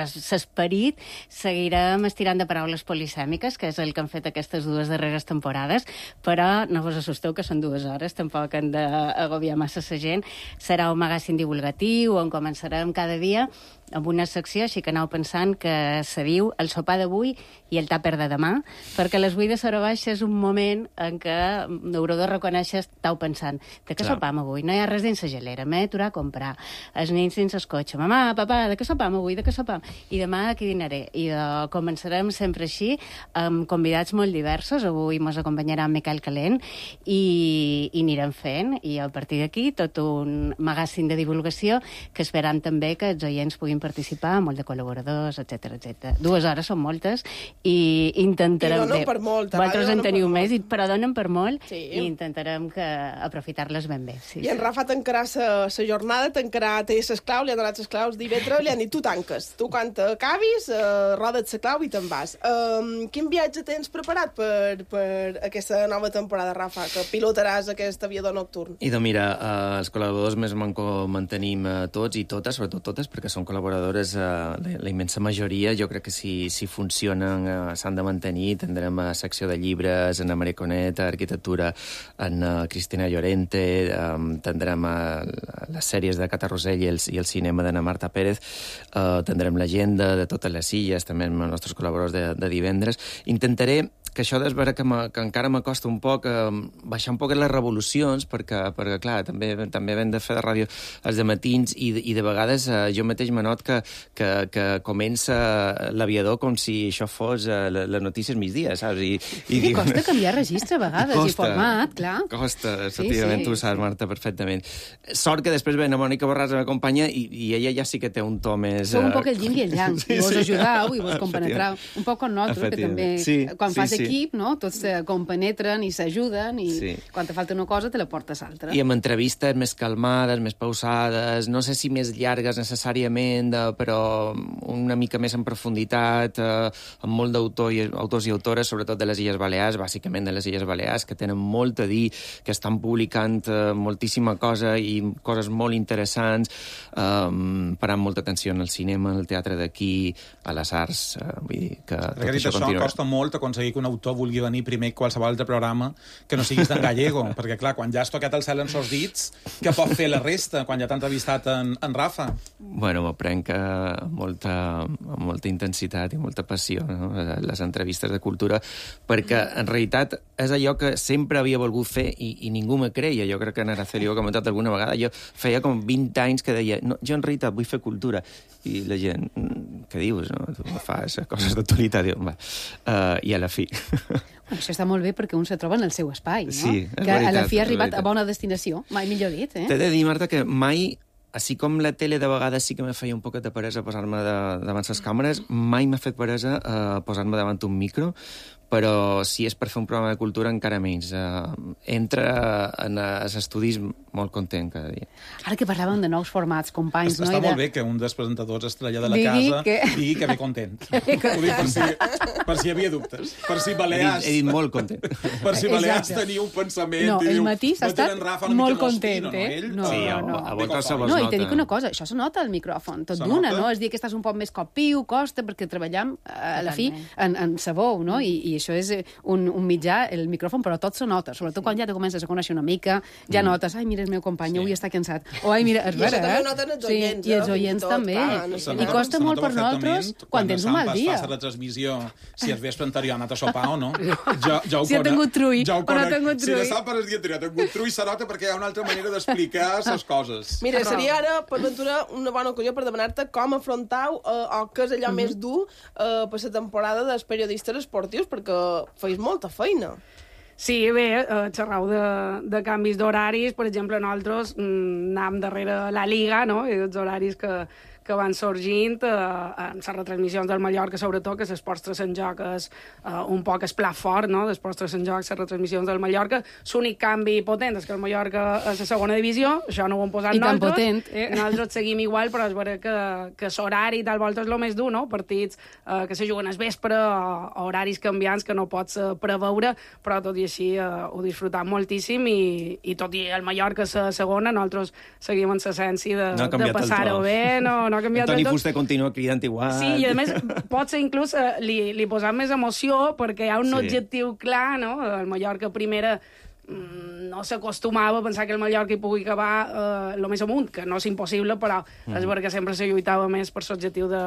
l'esperit, seguirem estirant de paraules polisèmiques, que és el que han fet aquestes dues darreres temporades, però no vos assusteu que són dues hores, tampoc han d'agobiar massa la gent. Serà un magazín divulgatiu on començarem cada dia amb una secció, així que aneu pensant que se diu el sopar d'avui i el tàper de demà, perquè les vuit de Sora Baixa és un moment en què haureu de reconèixer, estàu pensant, de què Clar. sopam avui? No hi ha res dins la gelera, m'he d'aturar a comprar. Els nens dins el cotxe, mamà, papà, de què sopam avui? De què sopam? I demà de què dinaré? I uh, començarem sempre així, amb convidats molt diversos. Avui mos acompanyarà en Miquel Calent i, i anirem fent, i a partir d'aquí tot un magazín de divulgació que esperam també que els oients puguin volem participar, molt de col·laboradors, etcètera, etcètera. Dues hores són moltes i intentarem... I donen per molt. Vosaltres en teniu més, però donen per molt i intentarem que aprofitar-les ben bé. I en Rafa tancarà la jornada, tancarà, té les claus, li han donat les claus divendres, li han dit, tu tanques. Tu quan acabis, roda't la clau i te'n vas. Quin viatge tens preparat per, per aquesta nova temporada, Rafa, que pilotaràs aquest aviador nocturn? I doncs mira, eh, els col·laboradors més manco mantenim eh, tots i totes, sobretot totes, perquè són col·laboradores, eh, la, la immensa majoria, jo crec que si, si funcionen eh, s'han de mantenir. Tindrem a secció de llibres, en Maria Coneta, arquitectura, en uh, Cristina Llorente, um, tindrem uh, les sèries de Cata Rosell i el, i el cinema d'Anna Marta Pérez, uh, tindrem l'agenda de totes les illes, també amb els nostres col·laboradors de, de divendres. Intentaré que això és vera que, que encara m'acosta un poc eh, baixar un poc les revolucions, perquè, perquè clar, també, també hem de fer de ràdio els dematins i, i de vegades eh, jo mateix m'anot que, que, que comença l'aviador com si això fos eh, les notícies migdia, saps? I, i, I costa canviar registre a vegades costa, i format, clar. Costa, efectivament, sí, sí. Tu ho saps, Marta, perfectament. Sort que després ve la Mònica Borràs a m'acompanya i, i ella ja sí que té un to més... Sou un poc el yin i el yang, sí, i vos sí. ajudau i vos compenetrau. Un poc com nosaltres, que també, sí, quan sí, fas sí. equip, no? Tots se compenetren i s'ajuden i sí. quan te falta una cosa te la portes altra. I amb entrevistes més calmades, més pausades, no sé si més llargues necessàriament, però una mica més en profunditat, eh, amb molt d'autors i, autors i autores, sobretot de les Illes Balears, bàsicament de les Illes Balears, que tenen molt a dir, que estan publicant eh, moltíssima cosa i coses molt interessants, eh, parant molta atenció en el cinema, en el teatre d'aquí, a les arts, eh, vull dir que tot això, això continua. Costa molt aconseguir que un autor vulgui venir primer que qualsevol altre programa que no siguis d'en gallego, perquè clar, quan ja has tocat el cel en sos dits, què pot fer la resta quan ja t'han entrevistat en, en Rafa? Bueno, m'ho prenc amb molta, amb molta intensitat i molta passió, no? Les entrevistes de cultura, perquè en realitat és allò que sempre havia volgut fer i, i ningú me creia. Jo crec que en Araceli ho he comentat alguna vegada, jo feia com vint anys que deia, no, jo en realitat vull fer cultura, i la gent, què dius, no? Tu fas coses d'actualitat, va. Uh, i a la fi... Bueno, això està molt bé perquè un se troba en el seu espai, no? Sí, que veritat, a la fi ha arribat a bona destinació, mai millor dit, eh? T'he de dir, Marta, que mai, així com la tele de vegades sí que me feia un poquet de peresa posar-me de, davant les càmeres, mai m'ha fet peresa eh, posar-me davant un micro, però si és per fer un programa de cultura encara menys. Uh, entra en els estudis molt content cada dia. Ara que parlàvem de nous formats, companys... Està, no? està de... molt bé que un dels presentadors estrella de la digui casa que... digui que ve content. Ho dic per si, per si hi havia dubtes. Per si Balears... He dit, he dit molt content. Per si Balears tenia un pensament... No, el diu, matís ha estat molt content, eh? No, sí, no, no. A voltes se vos no, nota. I te dic una cosa, això se nota al micròfon, tot d'una, no? És dir que estàs un poc més copiu, costa, perquè treballam a la fi en, en sabó, no? I, i això és un, un mitjà, el micròfon, però tot se nota, sobretot quan ja te comences a conèixer una mica, ja notes, ai, mira, el meu company avui està cansat, o ai, mira, és vera, eh? I això també noten els oients, sí, i els oients també. I costa molt per nosaltres quan tens un mal dia. Quan la transmissió, si el vespre anterior ha anat a sopar o no, jo, jo si ha tingut trull ja o no ha tingut trull. Si de sap el dia anterior ha tingut trull, se nota perquè hi ha una altra manera d'explicar les coses. Mira, seria ara, per ventura, una bona ocasió per demanar-te com afrontau eh, o què és allò uh -huh. més dur eh, per la temporada dels periodistes esportius, perquè feis molta feina. Sí, bé, eh, xerrau de, de canvis d'horaris. Per exemple, nosaltres mm, anàvem darrere la Liga, no?, i els horaris que, que van sorgint, eh, en les retransmissions del Mallorca, sobretot, que l'Esports tres en joc és eh, un poc el plat fort, no?, d'Esports tres en joc, les retransmissions del Mallorca. L'únic canvi potent és que el Mallorca és a segona divisió, això no ho hem posat I nosaltres. tan potent, eh? Nosaltres seguim igual, però és vera que, que l'horari tal volta és el més dur, no?, partits eh, que se juguen al vespre, o, o horaris canviants que no pots eh, preveure, però tot i així eh, ho disfrutam moltíssim i, i tot i el Mallorca és la segona, nosaltres seguim en l'essència de, no de passar-ho bé, no, no ha canviat Toni del tot. Fuster continua cridant igual. Sí, i a més, potser inclús eh, li, li posam més emoció perquè hi ha un sí. objectiu clar, no? El Mallorca primera mm, no s'acostumava a pensar que el Mallorca hi pugui acabar el eh, més amunt, que no és impossible, però mm. és perquè sempre se lluitava més per l'objectiu de,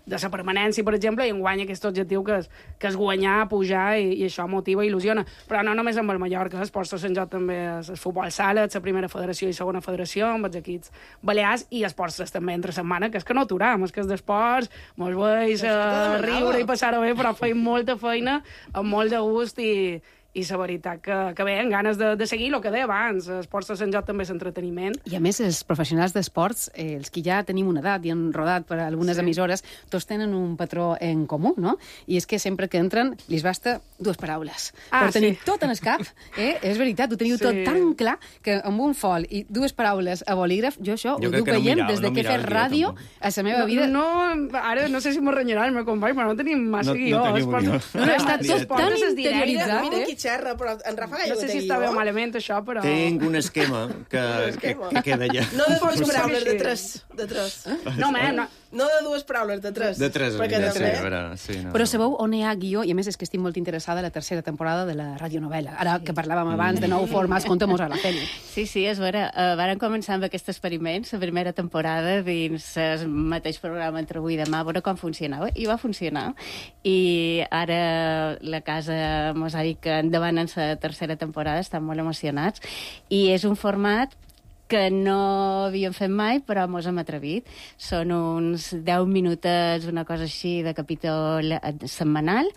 de la permanència, per exemple, i enguany aquest objectiu que és, que és guanyar, pujar, i, i això motiva i il·lusiona. Però no només amb el Mallorca, Esports tres en joc també és el futbol sala, la primera federació i segona federació, amb els equips balears, i Esports tres també entre setmana, que és que no aturam, és que és d'esports, mos veus uh, riure i passar-ho bé, però feim molta feina, amb molt de gust i i la veritat que, que bé, amb ganes de, de seguir el que deia abans, esports de Sant Joc també és entreteniment. I a més, els professionals d'esports, eh, els que ja tenim una edat i han rodat per algunes Sí. emissores, tots tenen un patró en comú, no? I és que sempre que entren, li basta dues paraules. Ah, per tenir sí. tot en el cap, eh? És veritat, ho teniu Sí. tot tan clar que amb un fol i dues paraules a bolígraf, jo això Jo ho crec duc que no veient mirava, des no de que he mirava fet el guió, ràdio tampoc. a la meva No, vida. no, ara no sé si m'ho renyarà el meu company, però no tenim massa No- no guió. teniu Esports- guió. No, no, està tot Esport tan és interioritzat, Mira eh? qui xerra, però en Rafa No Gallo sé té si està bé o guió. malament, això, però... Tinc un esquema que, que, que queda allà. No de dues Potser paraules, sí. de tres. De tres. No, home, no. No de dues paraules, de tres. De tres, Perquè mira, sí, també... a veure, sí, no. Però sabeu on hi ha guió? I a més és que estic molt interessada en la tercera temporada de la radionovela. Ara que parlàvem abans de nou formats, contem-nos a la Feli. Sí, sí, és vera. Uh, varen començar amb aquest experiment, la primera temporada, dins el mateix programa Entre avui i demà, a veure com funcionava. I va funcionar. I ara la casa mos ha dit que endavant en la tercera temporada, estan molt emocionats. I és un format que no havíem fet mai, però mos hem atrevit. Són uns deu minutets, una cosa així, de capítol setmanal,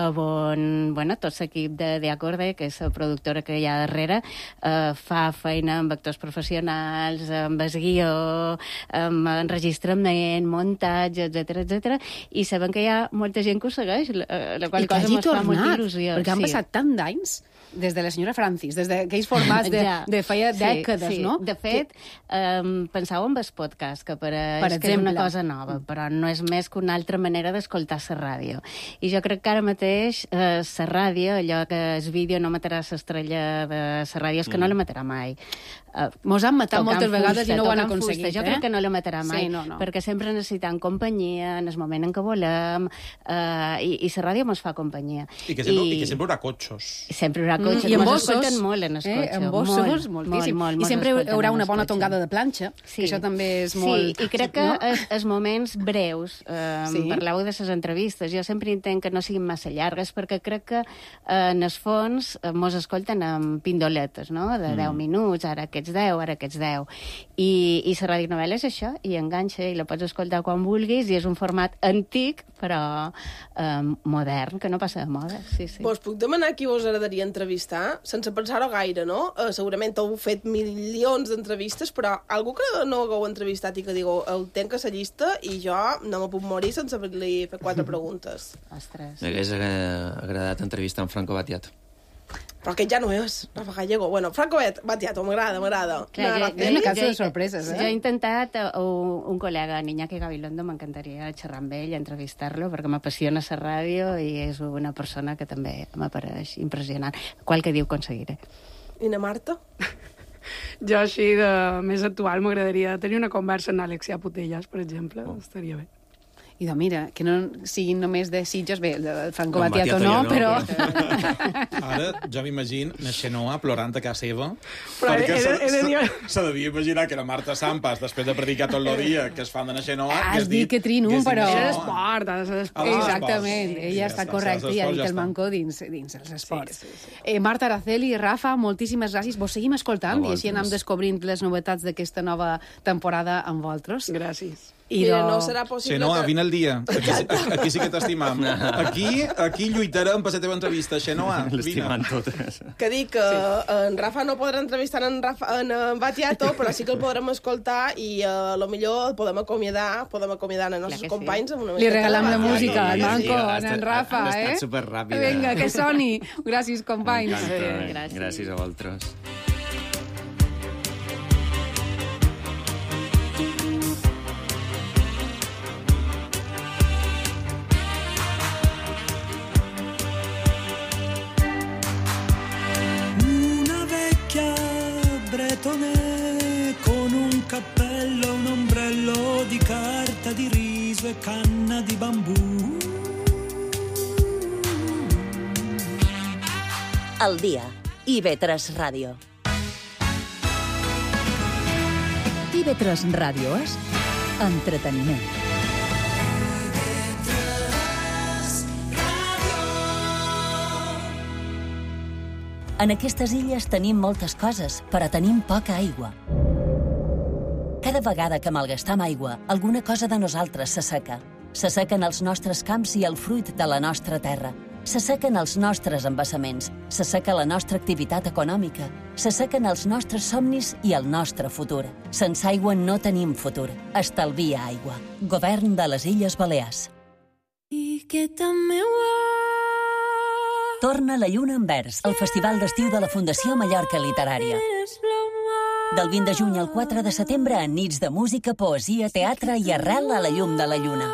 on bueno, tot l'equip de The Acorde, que és la productora que hi ha darrere, eh, fa feina amb actors professionals, amb el guió, amb enregistrament, muntatge, etcètera, etcètera, i sabem que hi ha molta gent que ho segueix, la, la qual I que cosa hagi mos fa molta tornat, il·lusió. perquè han sí. passat tant d'anys des de la senyora Francis, des d'aquells formats de, Ja. de feia Sí, dècades, sí. no? De fet, um, pensau en el podcast, que pareix Per que és una exemple. cosa nova, però no és més que una altra manera d'escoltar la ràdio. I jo crec que ara mateix eh, la ràdio, allò que el vídeo no matarà l'estrella de la ràdio, és que no la matarà mai. Uh, Mos han matat tocant moltes vegades i no ho han tocant aconseguit, fusta. Jo eh? crec que no la matarà mai, Sí, no, no. perquè sempre necessitem companyia en el moment en què volem, uh, i, i la ràdio mos fa companyia. I que sempre, I... i que sempre hi haurà cotxos. Sempre hi haurà cotxes. I en Mos bossos, escolten molt en el eh? cotxe. En bossos, molt, moltíssim. molt, molt, I mos sempre hi escolten haurà en una el bona cotxe. tongada de planxa, Sí. que això també és Sí, molt... i crec que no? els, els moments breus, eh, Sí. sí. parleu de les entrevistes, jo sempre intent que no siguin massa llargues, perquè crec que eh, en el fons eh, mos escolten amb pindoletes, no?, de deu minuts, ara aquests deu, ara aquests deu. I, i la radionovela és això, i enganxa, i la pots escoltar quan vulguis, i és un format antic, però eh, modern, que no passa de moda. Sí, sí. Vos puc demanar qui vos agradaria entrevistar? Sense pensar-ho gaire, no? Uh, segurament heu fet milions d'entrevistes, però algú que no hagueu entrevistat i que digueu, el tenc a la llista i jo no me puc morir sense haver-li fet quatre preguntes. Ostres. M'hagués agra- agradat entrevistar en Franco Battiato. Però aquest ja no és, Rafa Gallego. Bueno, Franco Battiato, m'agrada, m'agrada. Clar, No, jo- no, És una no, cançó jo- de sorpreses, eh? Jo he intentat, uh, un col·lega, Iñaki Gabilondo, m'encantaria xerrar amb ell, entrevistar-lo, perquè m'apassiona la ràdio i és una persona que també m'apareix impressionant. Qual que diu aconseguiré. I na Marta? Jo, així, de més actual, m'agradaria tenir una conversa amb Alexia Putellas, per exemple. Oh. Estaria bé. I doncs mira, que no siguin només de Sitges, bé, el Franco No, Battiato Battiato no, ja no, però... Ara ja m'imagino na Xenoa plorant a casa seva, Però perquè he de- se, he de se, dir- se devia imaginar que era Marta Sampas, després de predicar tot el dia que es fan de na Xenoa... Has dit que trino, però... Era l'esport, ha de ser l'esport. Ah, Exactament, sí, ella ja està està, correcta els i ha esports dit ja el estan. manco dins, dins els esports. Sí, sí, sí. Eh, Marta Araceli, Rafa, moltíssimes gràcies. Vos seguim escoltant A i així anem vosaltres. descobrint les novetats d'aquesta nova temporada amb vosaltres. Gràcies. I Mira, do- no serà possible Xenoa, que... vine el dia. Aquí, aquí sí que t'estimam. Aquí, aquí lluitarem per la teva entrevista. Xenoa, vine. L'estimant totes. Que dic que sí. en Rafa no podrà entrevistar en, Rafa, en, en Battiato, però sí que el podrem escoltar i uh, a lo millor el podem acomiadar, podem acomiadar els nostres que sí. companys amb una Li miqueta regalam de la Battiato. música, al sí, manco, ha en, estat- en Rafa, ha estat eh? superràpida. Vinga, que soni. Gràcies, companys. M'encanta. Sí, gràcies. Gràcies a vosaltres. Una vecchia bretone con un cappello, un ombrello di carta di riso e canna di bambù. Al dia. I ve tres Ràdio. I ve tres Ràdio és entreteniment. En aquestes illes tenim moltes coses, però tenim poca aigua. Cada vegada que malgastam aigua, alguna cosa de nosaltres s'asseca. S'assequen els nostres camps i el fruit de la nostra terra. S'assequen els nostres embassaments, s'asseca la nostra activitat econòmica, s'assequen els nostres somnis i el nostre futur. Sense aigua no tenim futur. Estalvia aigua. Govern de les Illes Balears. I que també ho Torna la lluna en vers, el festival d'estiu de la Fundació Mallorca Literària. Del vint de juny al quatre de setembre, en nits de música, poesia, teatre i arrel a la llum de la lluna.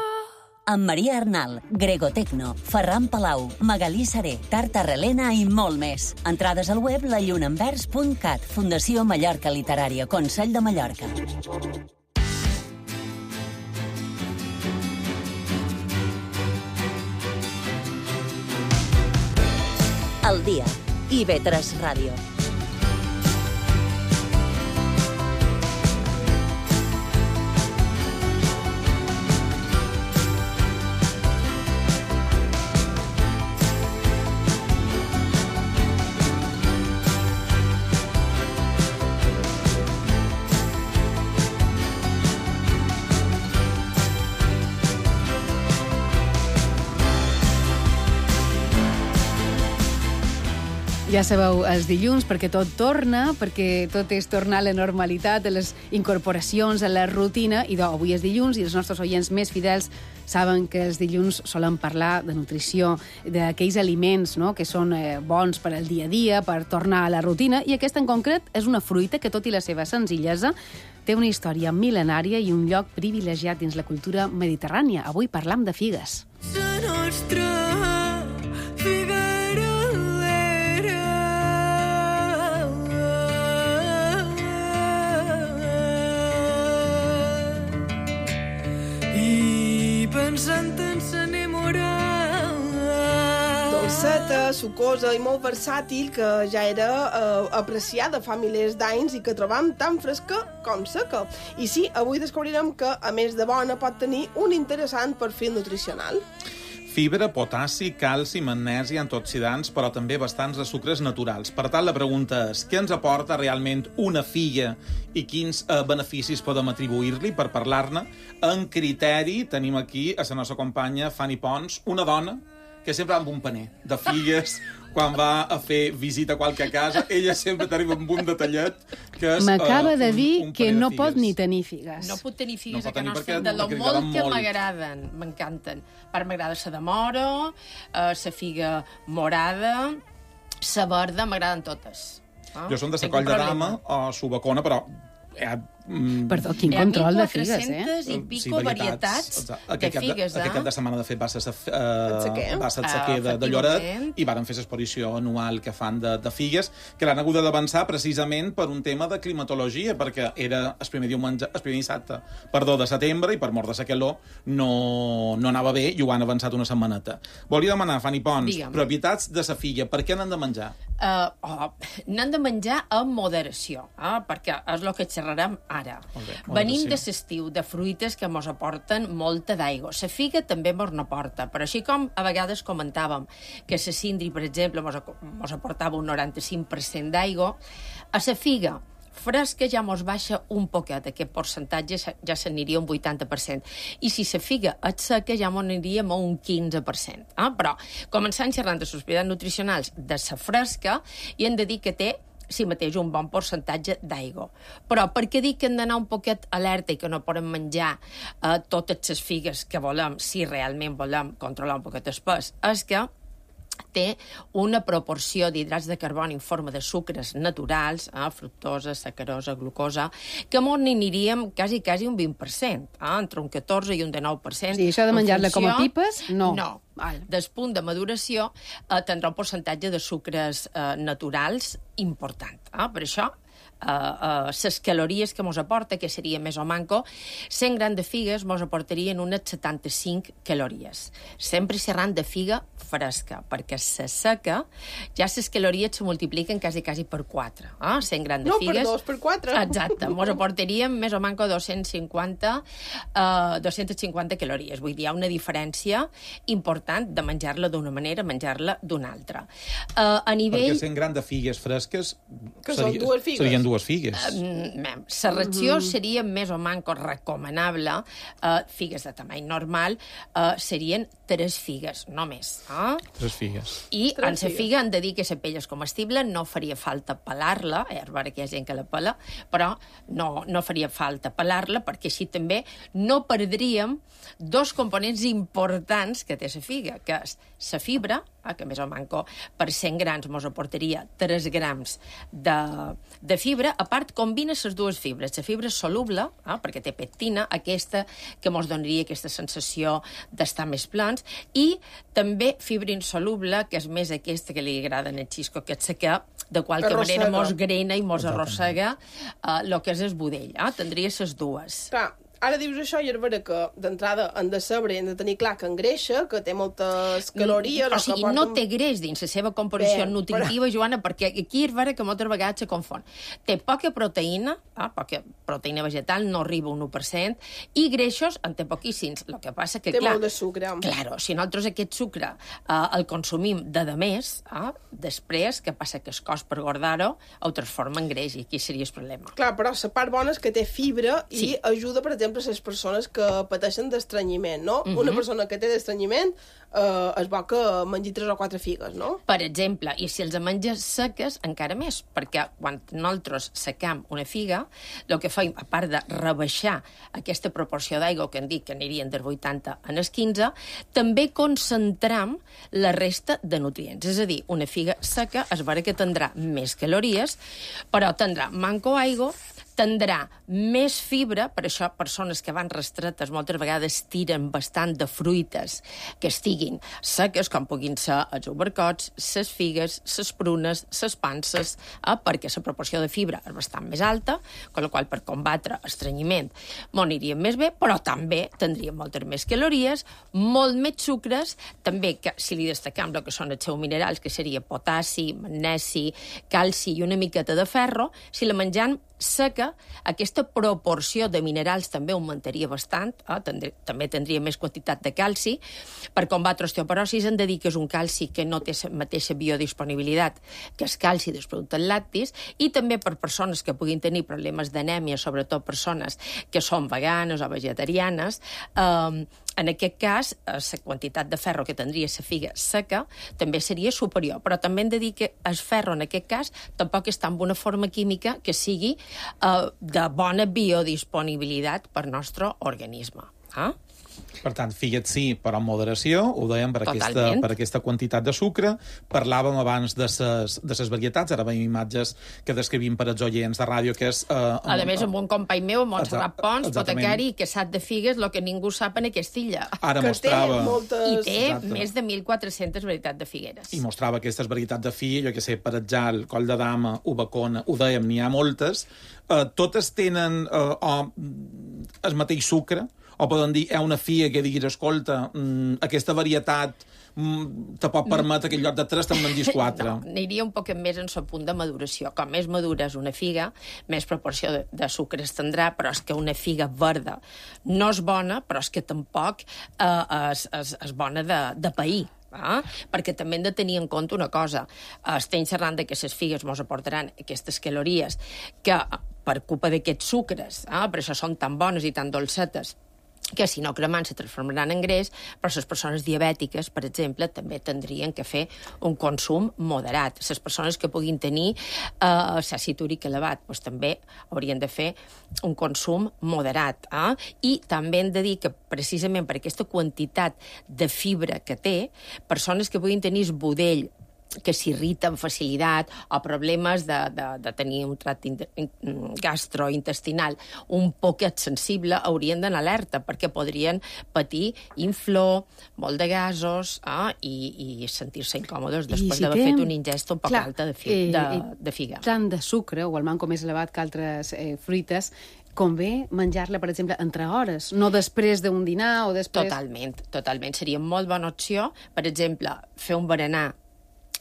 Amb Maria Arnal, Grego Tecno, Ferran Palau, Magalí Saré, Tarta Relena i molt més. Entrades al web la lluna en vers punt cat, Fundació Mallorca Literària, Consell de Mallorca. El dia. I ve tres Ràdio. Ja sabeu, els dilluns, perquè tot torna, perquè tot és tornar a la normalitat, a les incorporacions, a la rutina, i doncs, avui és dilluns i els nostres oients més fidels saben que els dilluns solen parlar de nutrició, d'aquells aliments, no?, que són eh, bons per al dia a dia, per tornar a la rutina, i aquesta en concret és una fruita que, tot i la seva senzillesa, té una història mil·lenària i un lloc privilegiat dins la cultura mediterrània. Avui parlam de figues. La nostra figuera pensant en s'enamorar. Dolceta, sucosa i molt versàtil, que ja era eh, apreciada fa milers d'anys i que trobam tan fresca com seca. I sí, avui descobrirem que, a més de bona, pot tenir un interessant perfil nutricional. Fibra, potassi, calci, magnesi, antioxidants, però també bastants de sucres naturals. Per tant, la pregunta és, què ens aporta realment una filla i quins eh, beneficis podem atribuir-li? Per parlar-ne, en criteri tenim aquí a la nostra companya Fanny Pons, una dona que sempre va amb un paner de figues quan va a fer visita a qualque casa. Ella sempre t'arriba amb un detallet que és... M'acaba uh, de dir un, un que no de pot ni tenir figues. No puc tenir figues no a casa nostra, perquè, de lo molt que molt. m'agraden, m'encanten. Per m'agrada la de moro, la uh, figa morada, la verda, m'agraden totes. Ah? Jo som de la coll de dama o subacona, però... Eh, mm, Perdó, quin control de figues, eh? quatre-centes i pico sí, varietats, varietats de figues, eh? Aquest cap de setmana, de fet, va ser uh, va ser el sequer de, de Lloret i varen fer l'exposició anual que fan de, de figues, que l'han hagut d'avançar precisament per un tema de climatologia, perquè era el primer diumenge, el primer dissabte, perdó, de setembre, i per mort de la calor no, no anava bé i ho han avançat una setmaneta. Volia demanar, Fanny Pons, Digue'm. propietats de la filla, per què n'han de menjar? Uh, oh, n'han de menjar amb moderació, eh? Perquè és el que xerrarem ara. Okay, Venim de l'estiu, de fruites que mos aporten molta d'aigua. La figa també mos n'aporta, però així com a vegades comentàvem que la cindri, per exemple, mos, mos aportava un noranta-cinc per cent d'aigua, a la figa fresca ja mos baixa un poquet, aquest percentatge ja s'aniria un vuitanta per cent. I si la figa és seca ja mos aniríem a un quinze per cent. Eh? Però, començant xerrant de les propietats nutricionals de la fresca, i hem de dir que té si mateix un bon percentatge d'aigua. Però per què dic que hem d'anar un poquet alerta i que no podem menjar eh, totes les figues que volem, si realment volem controlar un poquet el pes? És que té una proporció d'hidrats de carboni en forma de sucres naturals, eh, fructosa, sacarosa, glucosa, que m'on aniríem quasi, quasi un vint per cent, eh, entre un catorze i un dinou per cent. Sí, això de menjar-la com a pipes, no. No. Del punt de maduració eh, tindrà un percentatge de sucres eh, naturals important. Eh? Per això, les uh, uh, calories que mos aporta, que seria més o manco, cent grams de figues mos aportarien unes setanta-cinc calories. Sempre serran de figa fresca, perquè se seca, ja les calories se multipliquen quasi, quasi per quatre. Eh? cent grams de no, figues... No, per dos, per quatre. Exacte, mos aportaríem més o manco dos-cents cinquanta, uh, dos-cents cinquanta calories. Vull dir, hi ha una diferència important de menjar-la d'una manera, menjar-la d'una altra. Uh, a nivell... Perquè cent grams de figues fresques... Que seria, són dues figues. serien dues figues. La ració Mhm. seria més o manco recomanable. Uh, figues de tamany normal uh, serien tres figues, no més. Eh? Tres figues. I Tres en la figues. figa han de dir que la pell és comestible, no faria falta pelar-la, eh, a veure que hi ha gent que la pela, però no, no faria falta pelar-la, perquè així també no perdríem dos components importants que té la figa, que és la fibra, eh, que més o manco per cent grams mos aportaria tres grams de, de fibra. A part, combina les dues fibres. La fibra soluble, eh, perquè té pectina, aquesta que mos donaria aquesta sensació d'estar més plans, i també fibra insoluble, que és més aquesta que li agrada en el xisco, que és que de qualque Arrossega. manera mos grena i mos arrossega el uh, que és el budell. Eh? Tindria les dues. Clar, ara dius això i és vera que d'entrada hem de saber, hem de tenir clar que engreixa, que té moltes calories... O sigui, que no porten... té greix dins la seva composició Bé, nutritiva, però... Joana, perquè aquí és vera que moltes vegades se confon. Té poca proteïna, eh, poca proteïna vegetal, no arriba a un u per cent, i greixos en té poquíssims. El que passa que, Té clar... molt de sucre. Claro, si nosaltres aquest sucre eh, el consumim de demés, eh, després, què passa? Que el cos per guardar-ho ho transforma en greix, i aquí seria el problema. Clar, però la part bona és que té fibra i Sí. ajuda, per exemple, a les persones que pateixen d'estrenyiment, no? Mhm. Una persona que té d'estrenyiment eh, és bo que mengi tres o quatre figues, no? Per exemple, i si els menges seques, encara més, perquè quan nosaltres secam una figa, el que fem, a part de rebaixar aquesta proporció d'aigua que han dit que anirien del vuitanta en el quinze, també concentram la resta de nutrients. És a dir, una figa seca es veurà que tindrà més calories, però tindrà manco aigua, tindrà més fibra, per això persones que van restretes moltes vegades tiren bastant de fruites que estiguin seques, com puguin ser els albercots, les figues, les prunes, les panses, eh, perquè la proporció de fibra és bastant més alta, amb la qual per combatre estrenyiment m'ho aniríem més bé, però també tindríem moltes més calories, molt més sucres, també que si li destacam el que són els seus minerals, que seria potassi, magnesi, calci i una miqueta de ferro, si la menjam seca, aquesta proporció de minerals també augmentaria bastant, eh? Tendré, també tindria més quantitat de calci. Per combatre osteoporosis hem de dir que és un calci que no té la mateixa biodisponibilitat que el calci dels productes lactis, i també per persones que puguin tenir problemes d'anèmia, sobretot persones que són veganes o vegetarianes, eh, en aquest cas, la quantitat de ferro que tindria la figa seca també seria superior, però també hem de dir que el ferro, en aquest cas, tampoc està en una forma química que sigui eh, de bona biodisponibilitat per nostre organisme. Eh? Per tant, figues sí, però amb moderació, ho dèiem per aquesta, Totalment. per aquesta quantitat de sucre. Parlàvem abans de ses, de ses varietats, ara veiem imatges que descrivim per als oients de ràdio, que és... Eh, A més, amb un company meu, Montserrat Pons, Exactament. botecari, que sap de figues el que ningú sap en aquesta illa. Ara Que mostrava- té moltes- I té Exacte. més de mil quatre-centes varietats de figueres. I mostrava aquestes varietats de fi, jo que sé, per el coll de dama, ubacona, ho dèiem, n'hi ha moltes. Eh, totes tenen eh, o, el mateix sucre, o poden dir, hi ha una fia que diguis, escolta, mm, aquesta varietat mm, te pot permetre que en lloc de tres te'n mengis quatre. No, aniria un poc més en el punt de maduració. Com més madura és una figa, més proporció de, de sucre es tindrà, però és que una figa verda no és bona, però és que tampoc eh, és, és, és bona de, de pair. Ah, perquè també hem de tenir en compte una cosa. Estem xerrant de que les figues ens aportaran aquestes calories que per culpa d'aquests sucres, ah, per això són tan bones i tan dolcetes, que si no cremant se transformaran en greix, però les persones diabètiques, per exemple, també tindrien que fer un consum moderat. Les persones que puguin tenir eh, àcid úric elevat, doncs també haurien de fer un consum moderat. Eh? I també hem de dir que, precisament per aquesta quantitat de fibra que té, persones que puguin tenir budell que s'irrita amb facilitat o problemes de, de, de tenir un tracte gastrointestinal un poquet sensible, haurien d'anar alerta perquè podrien patir inflor, molt de gasos eh, i, i sentir-se incòmodes després si d'haver té- fet una ingesta un poc Clar, alta de, fi, eh, de, eh, de figa. Tant de sucre, o el manco més elevat que altres eh, fruites, convé menjar-la, per exemple, entre hores, no després d'un dinar o després... Totalment, totalment. Seria molt bona opció, per exemple, fer un berenar,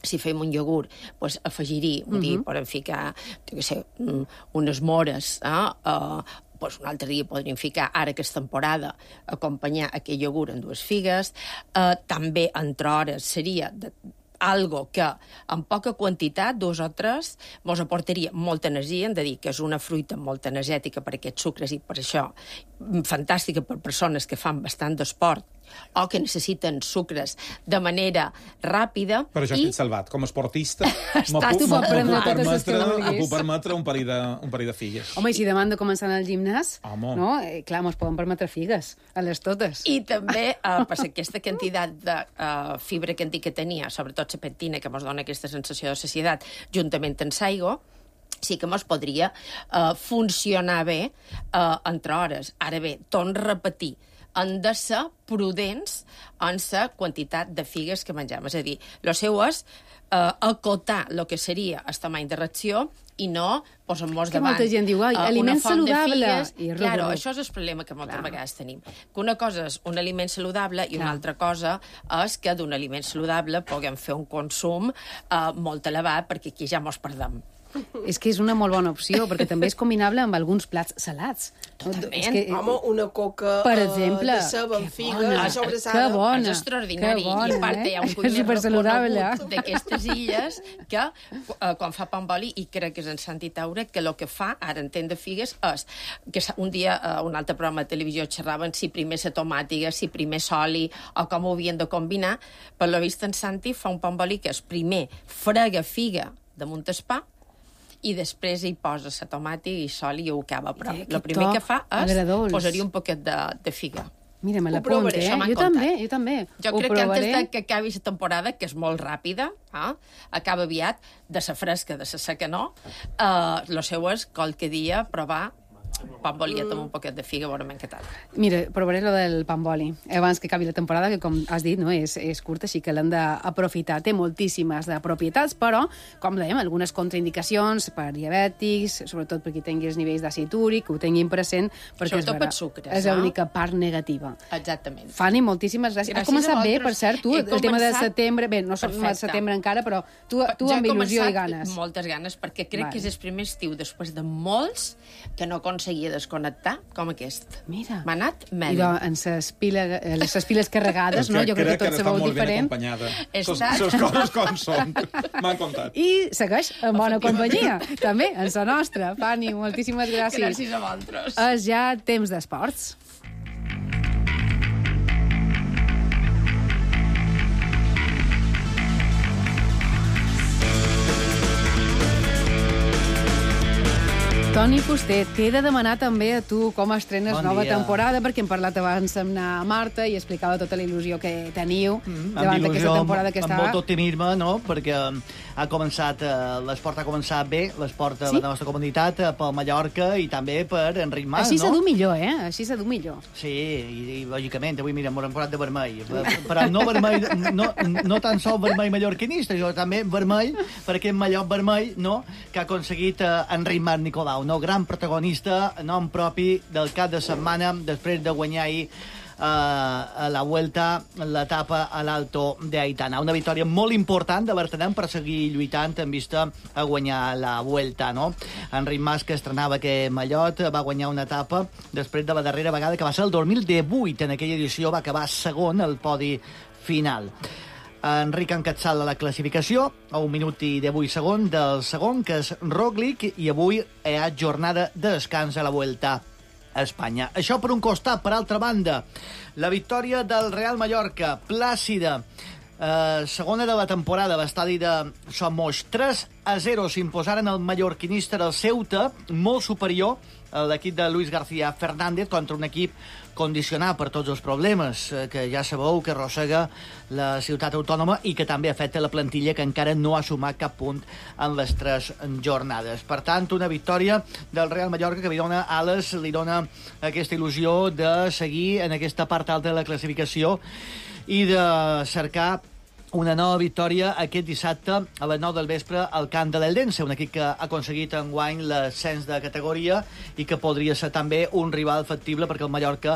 si fem un iogurt, doncs afegir-hi, vull dir, Mhm. podem ficar, jo què sé, mm, unes mores, eh? Uh, doncs un altre dia podríem ficar, ara que és temporada, acompanyar aquest iogurt amb dues figues. Uh, també, entre hores, seria de, algo que en poca quantitat, dos o tres, mos aportaria molta energia. Hem de dir que és una fruita molt energètica per aquests sucres i per això fantàstica per persones que fan bastant d'esport o que necessiten sucres de manera ràpida. Però jo i... estic salvat. Com a esportista, m'ho Estàs tu puc, pot prendre puc totes les que permetre, vulguis. em puc permetre un parell de, un parell de figues. Home, i si demà han de començar al gimnàs, Home. no? Eh, clar, mos poden permetre figues, a les totes. I també, uh, per aquesta quantitat de uh, fibra que hem dit que tenia, sobretot la pectina, que ens dona aquesta sensació de sacietat, juntament amb l'aigua, sí que mos podria uh, funcionar bé uh, entre hores. Ara bé, torno a repetir, han de ser prudents en la quantitat de figues que mengem. És a dir, el seu és uh, acotar el que seria el tamany de ració i no posar-nos Que davant molta gent diu, ai, uh, aliment una font de saludable. figues. I res, Claro, res. això és el problema que moltes vegades tenim. Que una cosa és un aliment saludable i una Clar. altra cosa és que d'un aliment saludable puguem fer un consum uh, molt elevat, perquè aquí ja mos perdem. És que és una molt bona opció, perquè també és combinable amb alguns plats salats. Totalment. És que, Home, una coca per uh, exemple, de ceba amb que figa, bona, sobrassada. que bona, És extraordinari. que bona, I a part, eh? hi ha un És cuiner supersaludable, reconegut d'aquestes illes que, uh, quan fa pa amb oli, i crec que és en Santi Taure, que el que fa, ara en de figues, és que un dia, a uh, un altre programa de televisió, xerraven si primer la tomàtiga, si primer l'oli, o com ho havien de combinar. Per lo vist, en Santi fa un pa amb oli que és primer frega figa damunt el pa, i després hi posa la tomàtica i sol i ho acaba. Però Eh, el que primer to que fa és agradolç. posar-hi un poquet de, de figa. Mira, me Ho l'apunto, provaré, eh? això m'han Jo contat. també, jo també. Jo Ho crec que provaré. antes de que acabi la temporada, que és molt ràpida, eh? acaba aviat, de la fresca, de la seca no, eh, lo seu és qualque dia provar pa amb oliet amb un poquet de figa, veurem què tal. Mira, provaré lo del pa amb oli, abans que acabi la temporada, que com has dit, no, és, és curta, així que l'hem d'aprofitar. Té moltíssimes de propietats, però, com dèiem, algunes contraindicacions per diabètics, sobretot per qui tingui els nivells d'àcid úric, que ho tinguin present, perquè Sobretot és, pels sucres, és no? l'única part negativa. Exactament. Fanny, moltíssimes gràcies. Gràcies Has començat a bé, vosaltres. per cert, tu, He el tema de començat- setembre, bé, no som al Perfecte. setembre encara, però tu, tu Jo amb he il·lusió i començat ganes. moltes ganes, perquè crec Vale. que és el primer estiu, després de molts, que no aconseguia desconnectar com aquest. Mira. M'ha anat I mel. de, en ses, pila, eh, les ses piles carregades, no? Jo crec que tot se està veu molt ben diferent. acompanyada. He Ses, estat- ses coses com són. M'han contat. I segueix en bona companyia, també, en la nostra. Fanny, moltíssimes gràcies. Gràcies a vosaltres. És ja temps d'esports. Toni Fuster, t'he de demanar també a tu com estrenes Bon nova dia. temporada, perquè hem parlat abans amb na Marta i explicava tota la il·lusió que teniu Amb davant d'aquesta il·lusió, temporada que amb, està... amb molt optimisme, no? Perquè ha començat, eh, l'esport ha començat bé, l'esport de Sí? la nostra comunitat, eh, pel Mallorca i també per Enric Mas, Així no? s'ha du millor, eh? Així s'ha du millor. Sí, i, i lògicament, avui, mira, m'ho posat de vermell. Però no vermell, no, no tan sol vermell mallorquinista, jo també vermell, per aquest Mallorc vermell, no?, que ha aconseguit eh, Enric Mas Nicolau, no? Gran protagonista, nom propi del cap de setmana, després de guanyar ahir uh, a la Vuelta l'etapa a l'Alto de Aitana. Una victòria molt important de Bertanem per seguir lluitant en vista a guanyar la Vuelta, no? Enric Mas, que estrenava aquest mallot, va guanyar una etapa després de la darrera vegada, que va ser el dos mil divuit. En aquella edició va acabar segon al podi final. Enric encapçala la classificació a un minut i divuit segons del segon, que és Roglic, i avui hi ha jornada de descans a la Vuelta a Espanya. Això per un costat. Per altra banda, la victòria del Real Mallorca, plàcida, eh, segona de la temporada, a l'estadi de Somos. tres a zero s'imposaren el mallorquinista del Ceuta, molt superior a l'equip de Luis García Fernández, contra un equip condicionat per tots els problemes eh, que ja sabeu que arrossega la ciutat autònoma i que també afecta la plantilla, que encara no ha sumat cap punt en les tres jornades. Per tant, una victòria del Real Mallorca que li dona ales, li dona aquesta il·lusió de seguir en aquesta part alta de la classificació i de cercar una nova victòria aquest dissabte a les nou del vespre al camp de l'Eldense, un equip que ha aconseguit enguany l'ascens de categoria i que podria ser també un rival factible perquè el Mallorca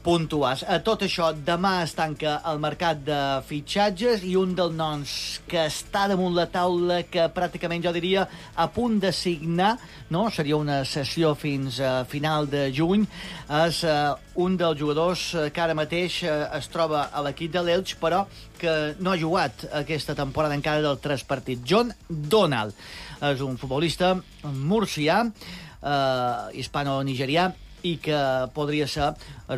puntuals. A tot això, demà es tanca el mercat de fitxatges i un dels noms que està damunt la taula, que pràcticament jo diria a punt de signar, no? Seria una sessió fins a final de juny, és uh, un dels jugadors que ara mateix uh, es troba a l'equip de l'Elx, però que no ha jugat aquesta temporada encara del tres partits. John Donald és un futbolista murcià, uh, hispano-nigerià, i que podria ser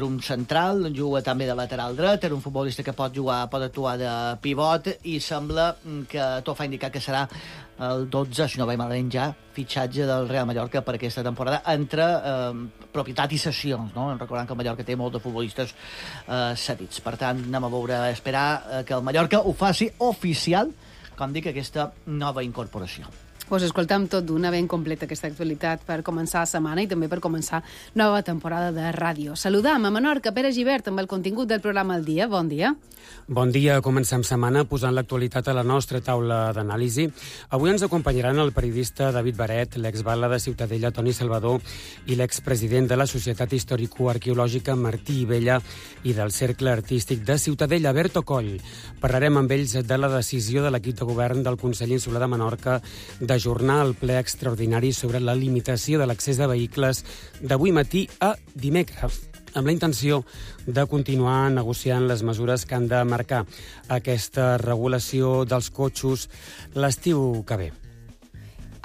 un central, juga també de lateral dret, és un futbolista que pot jugar, pot actuar de pivot, i sembla que tot fa indicar que serà el dotze, si no vaig malament ja, fitxatge del Real Mallorca per aquesta temporada, entre eh, propietat i sessions, no? Recordant que el Mallorca té molts de futbolistes eh, cedits. Per tant, anem a veure, a esperar eh, que el Mallorca ho faci oficial, com dic, aquesta nova incorporació. Pues escoltam tot d'una, ben completa aquesta actualitat per començar la setmana i també per començar nova temporada de ràdio. Saludam a Menorca, Pere Gibert, amb el contingut del programa El Dia. Bon dia. Bon dia. Comencem setmana posant l'actualitat a la nostra taula d'anàlisi. Avui ens acompanyaran el periodista David Baret, l'exbala de Ciutadella Toni Salvador i l'expresident de la Societat Històrico-Arqueològica Martí Ibella i del Cercle Artístic de Ciutadella, Berto Coll. Parlarem amb ells de la decisió de l'equip de govern del Consell Insular de Menorca de ajornar el ple extraordinari sobre la limitació de l'accés de vehicles d'avui matí a dimecres, amb la intenció de continuar negociant les mesures que han de marcar aquesta regulació dels cotxes l'estiu que ve.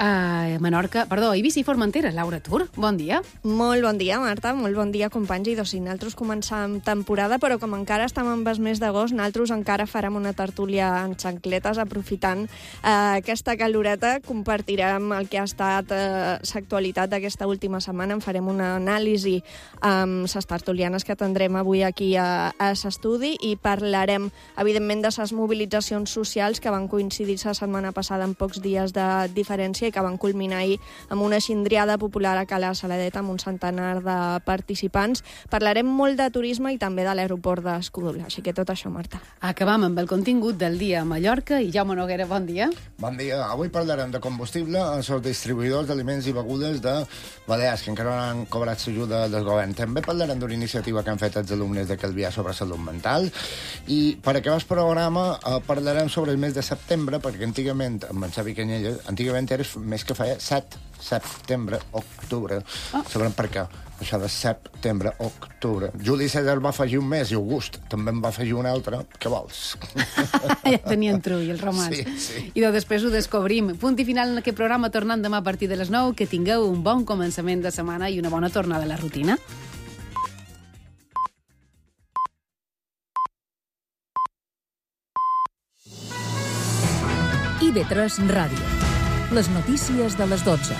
A Menorca, perdó, Eivissa i Formentera, Laura Tur, bon dia. Molt bon dia, Marta, molt bon dia, companys, i doncs sí, nosaltres començam temporada, però com encara estem en el mes d'agost, nosaltres encara farem una tertúlia en xancletes, aprofitant eh, aquesta caloreta, compartirem el que ha estat eh, l'actualitat d'aquesta última setmana, en farem una anàlisi amb les tertulianes que tindrem avui aquí a, a l'estudi i parlarem, evidentment, de les mobilitzacions socials que van coincidir la setmana passada en pocs dies de diferència i que van culminar ahir amb una xindriada popular a Cala Saladeta amb un centenar de participants. Parlarem molt de turisme i també de l'aeroport d'Escudola, així que tot això, Marta. Acabam amb el contingut del dia a Mallorca i Jaume Noguera, bon dia. Bon dia. Avui parlarem de combustible als distribuïdors d'aliments i begudes de Balears, que encara no han cobrat l'ajuda del govern. També parlarem d'una iniciativa que han fet els alumnes de Calvià sobre salut mental i per acabar el programa eh, parlarem sobre el mes de setembre, perquè antigament, amb en Xavi Canyelles, antigament era més que feia set, setembre, octubre. Oh. Sabrem per què. Això de setembre, octubre. Juli César va afegir un mes i August també en va afegir un altre. Què vols? Ja tenien trull, els romans. Sí, sí. I doncs després ho descobrim. Punt i final en aquest programa, tornant demà a partir de les nou. Que tingueu un bon començament de setmana i una bona tornada a la rutina. I ve tres Ràdio. Les notícies de les dotze.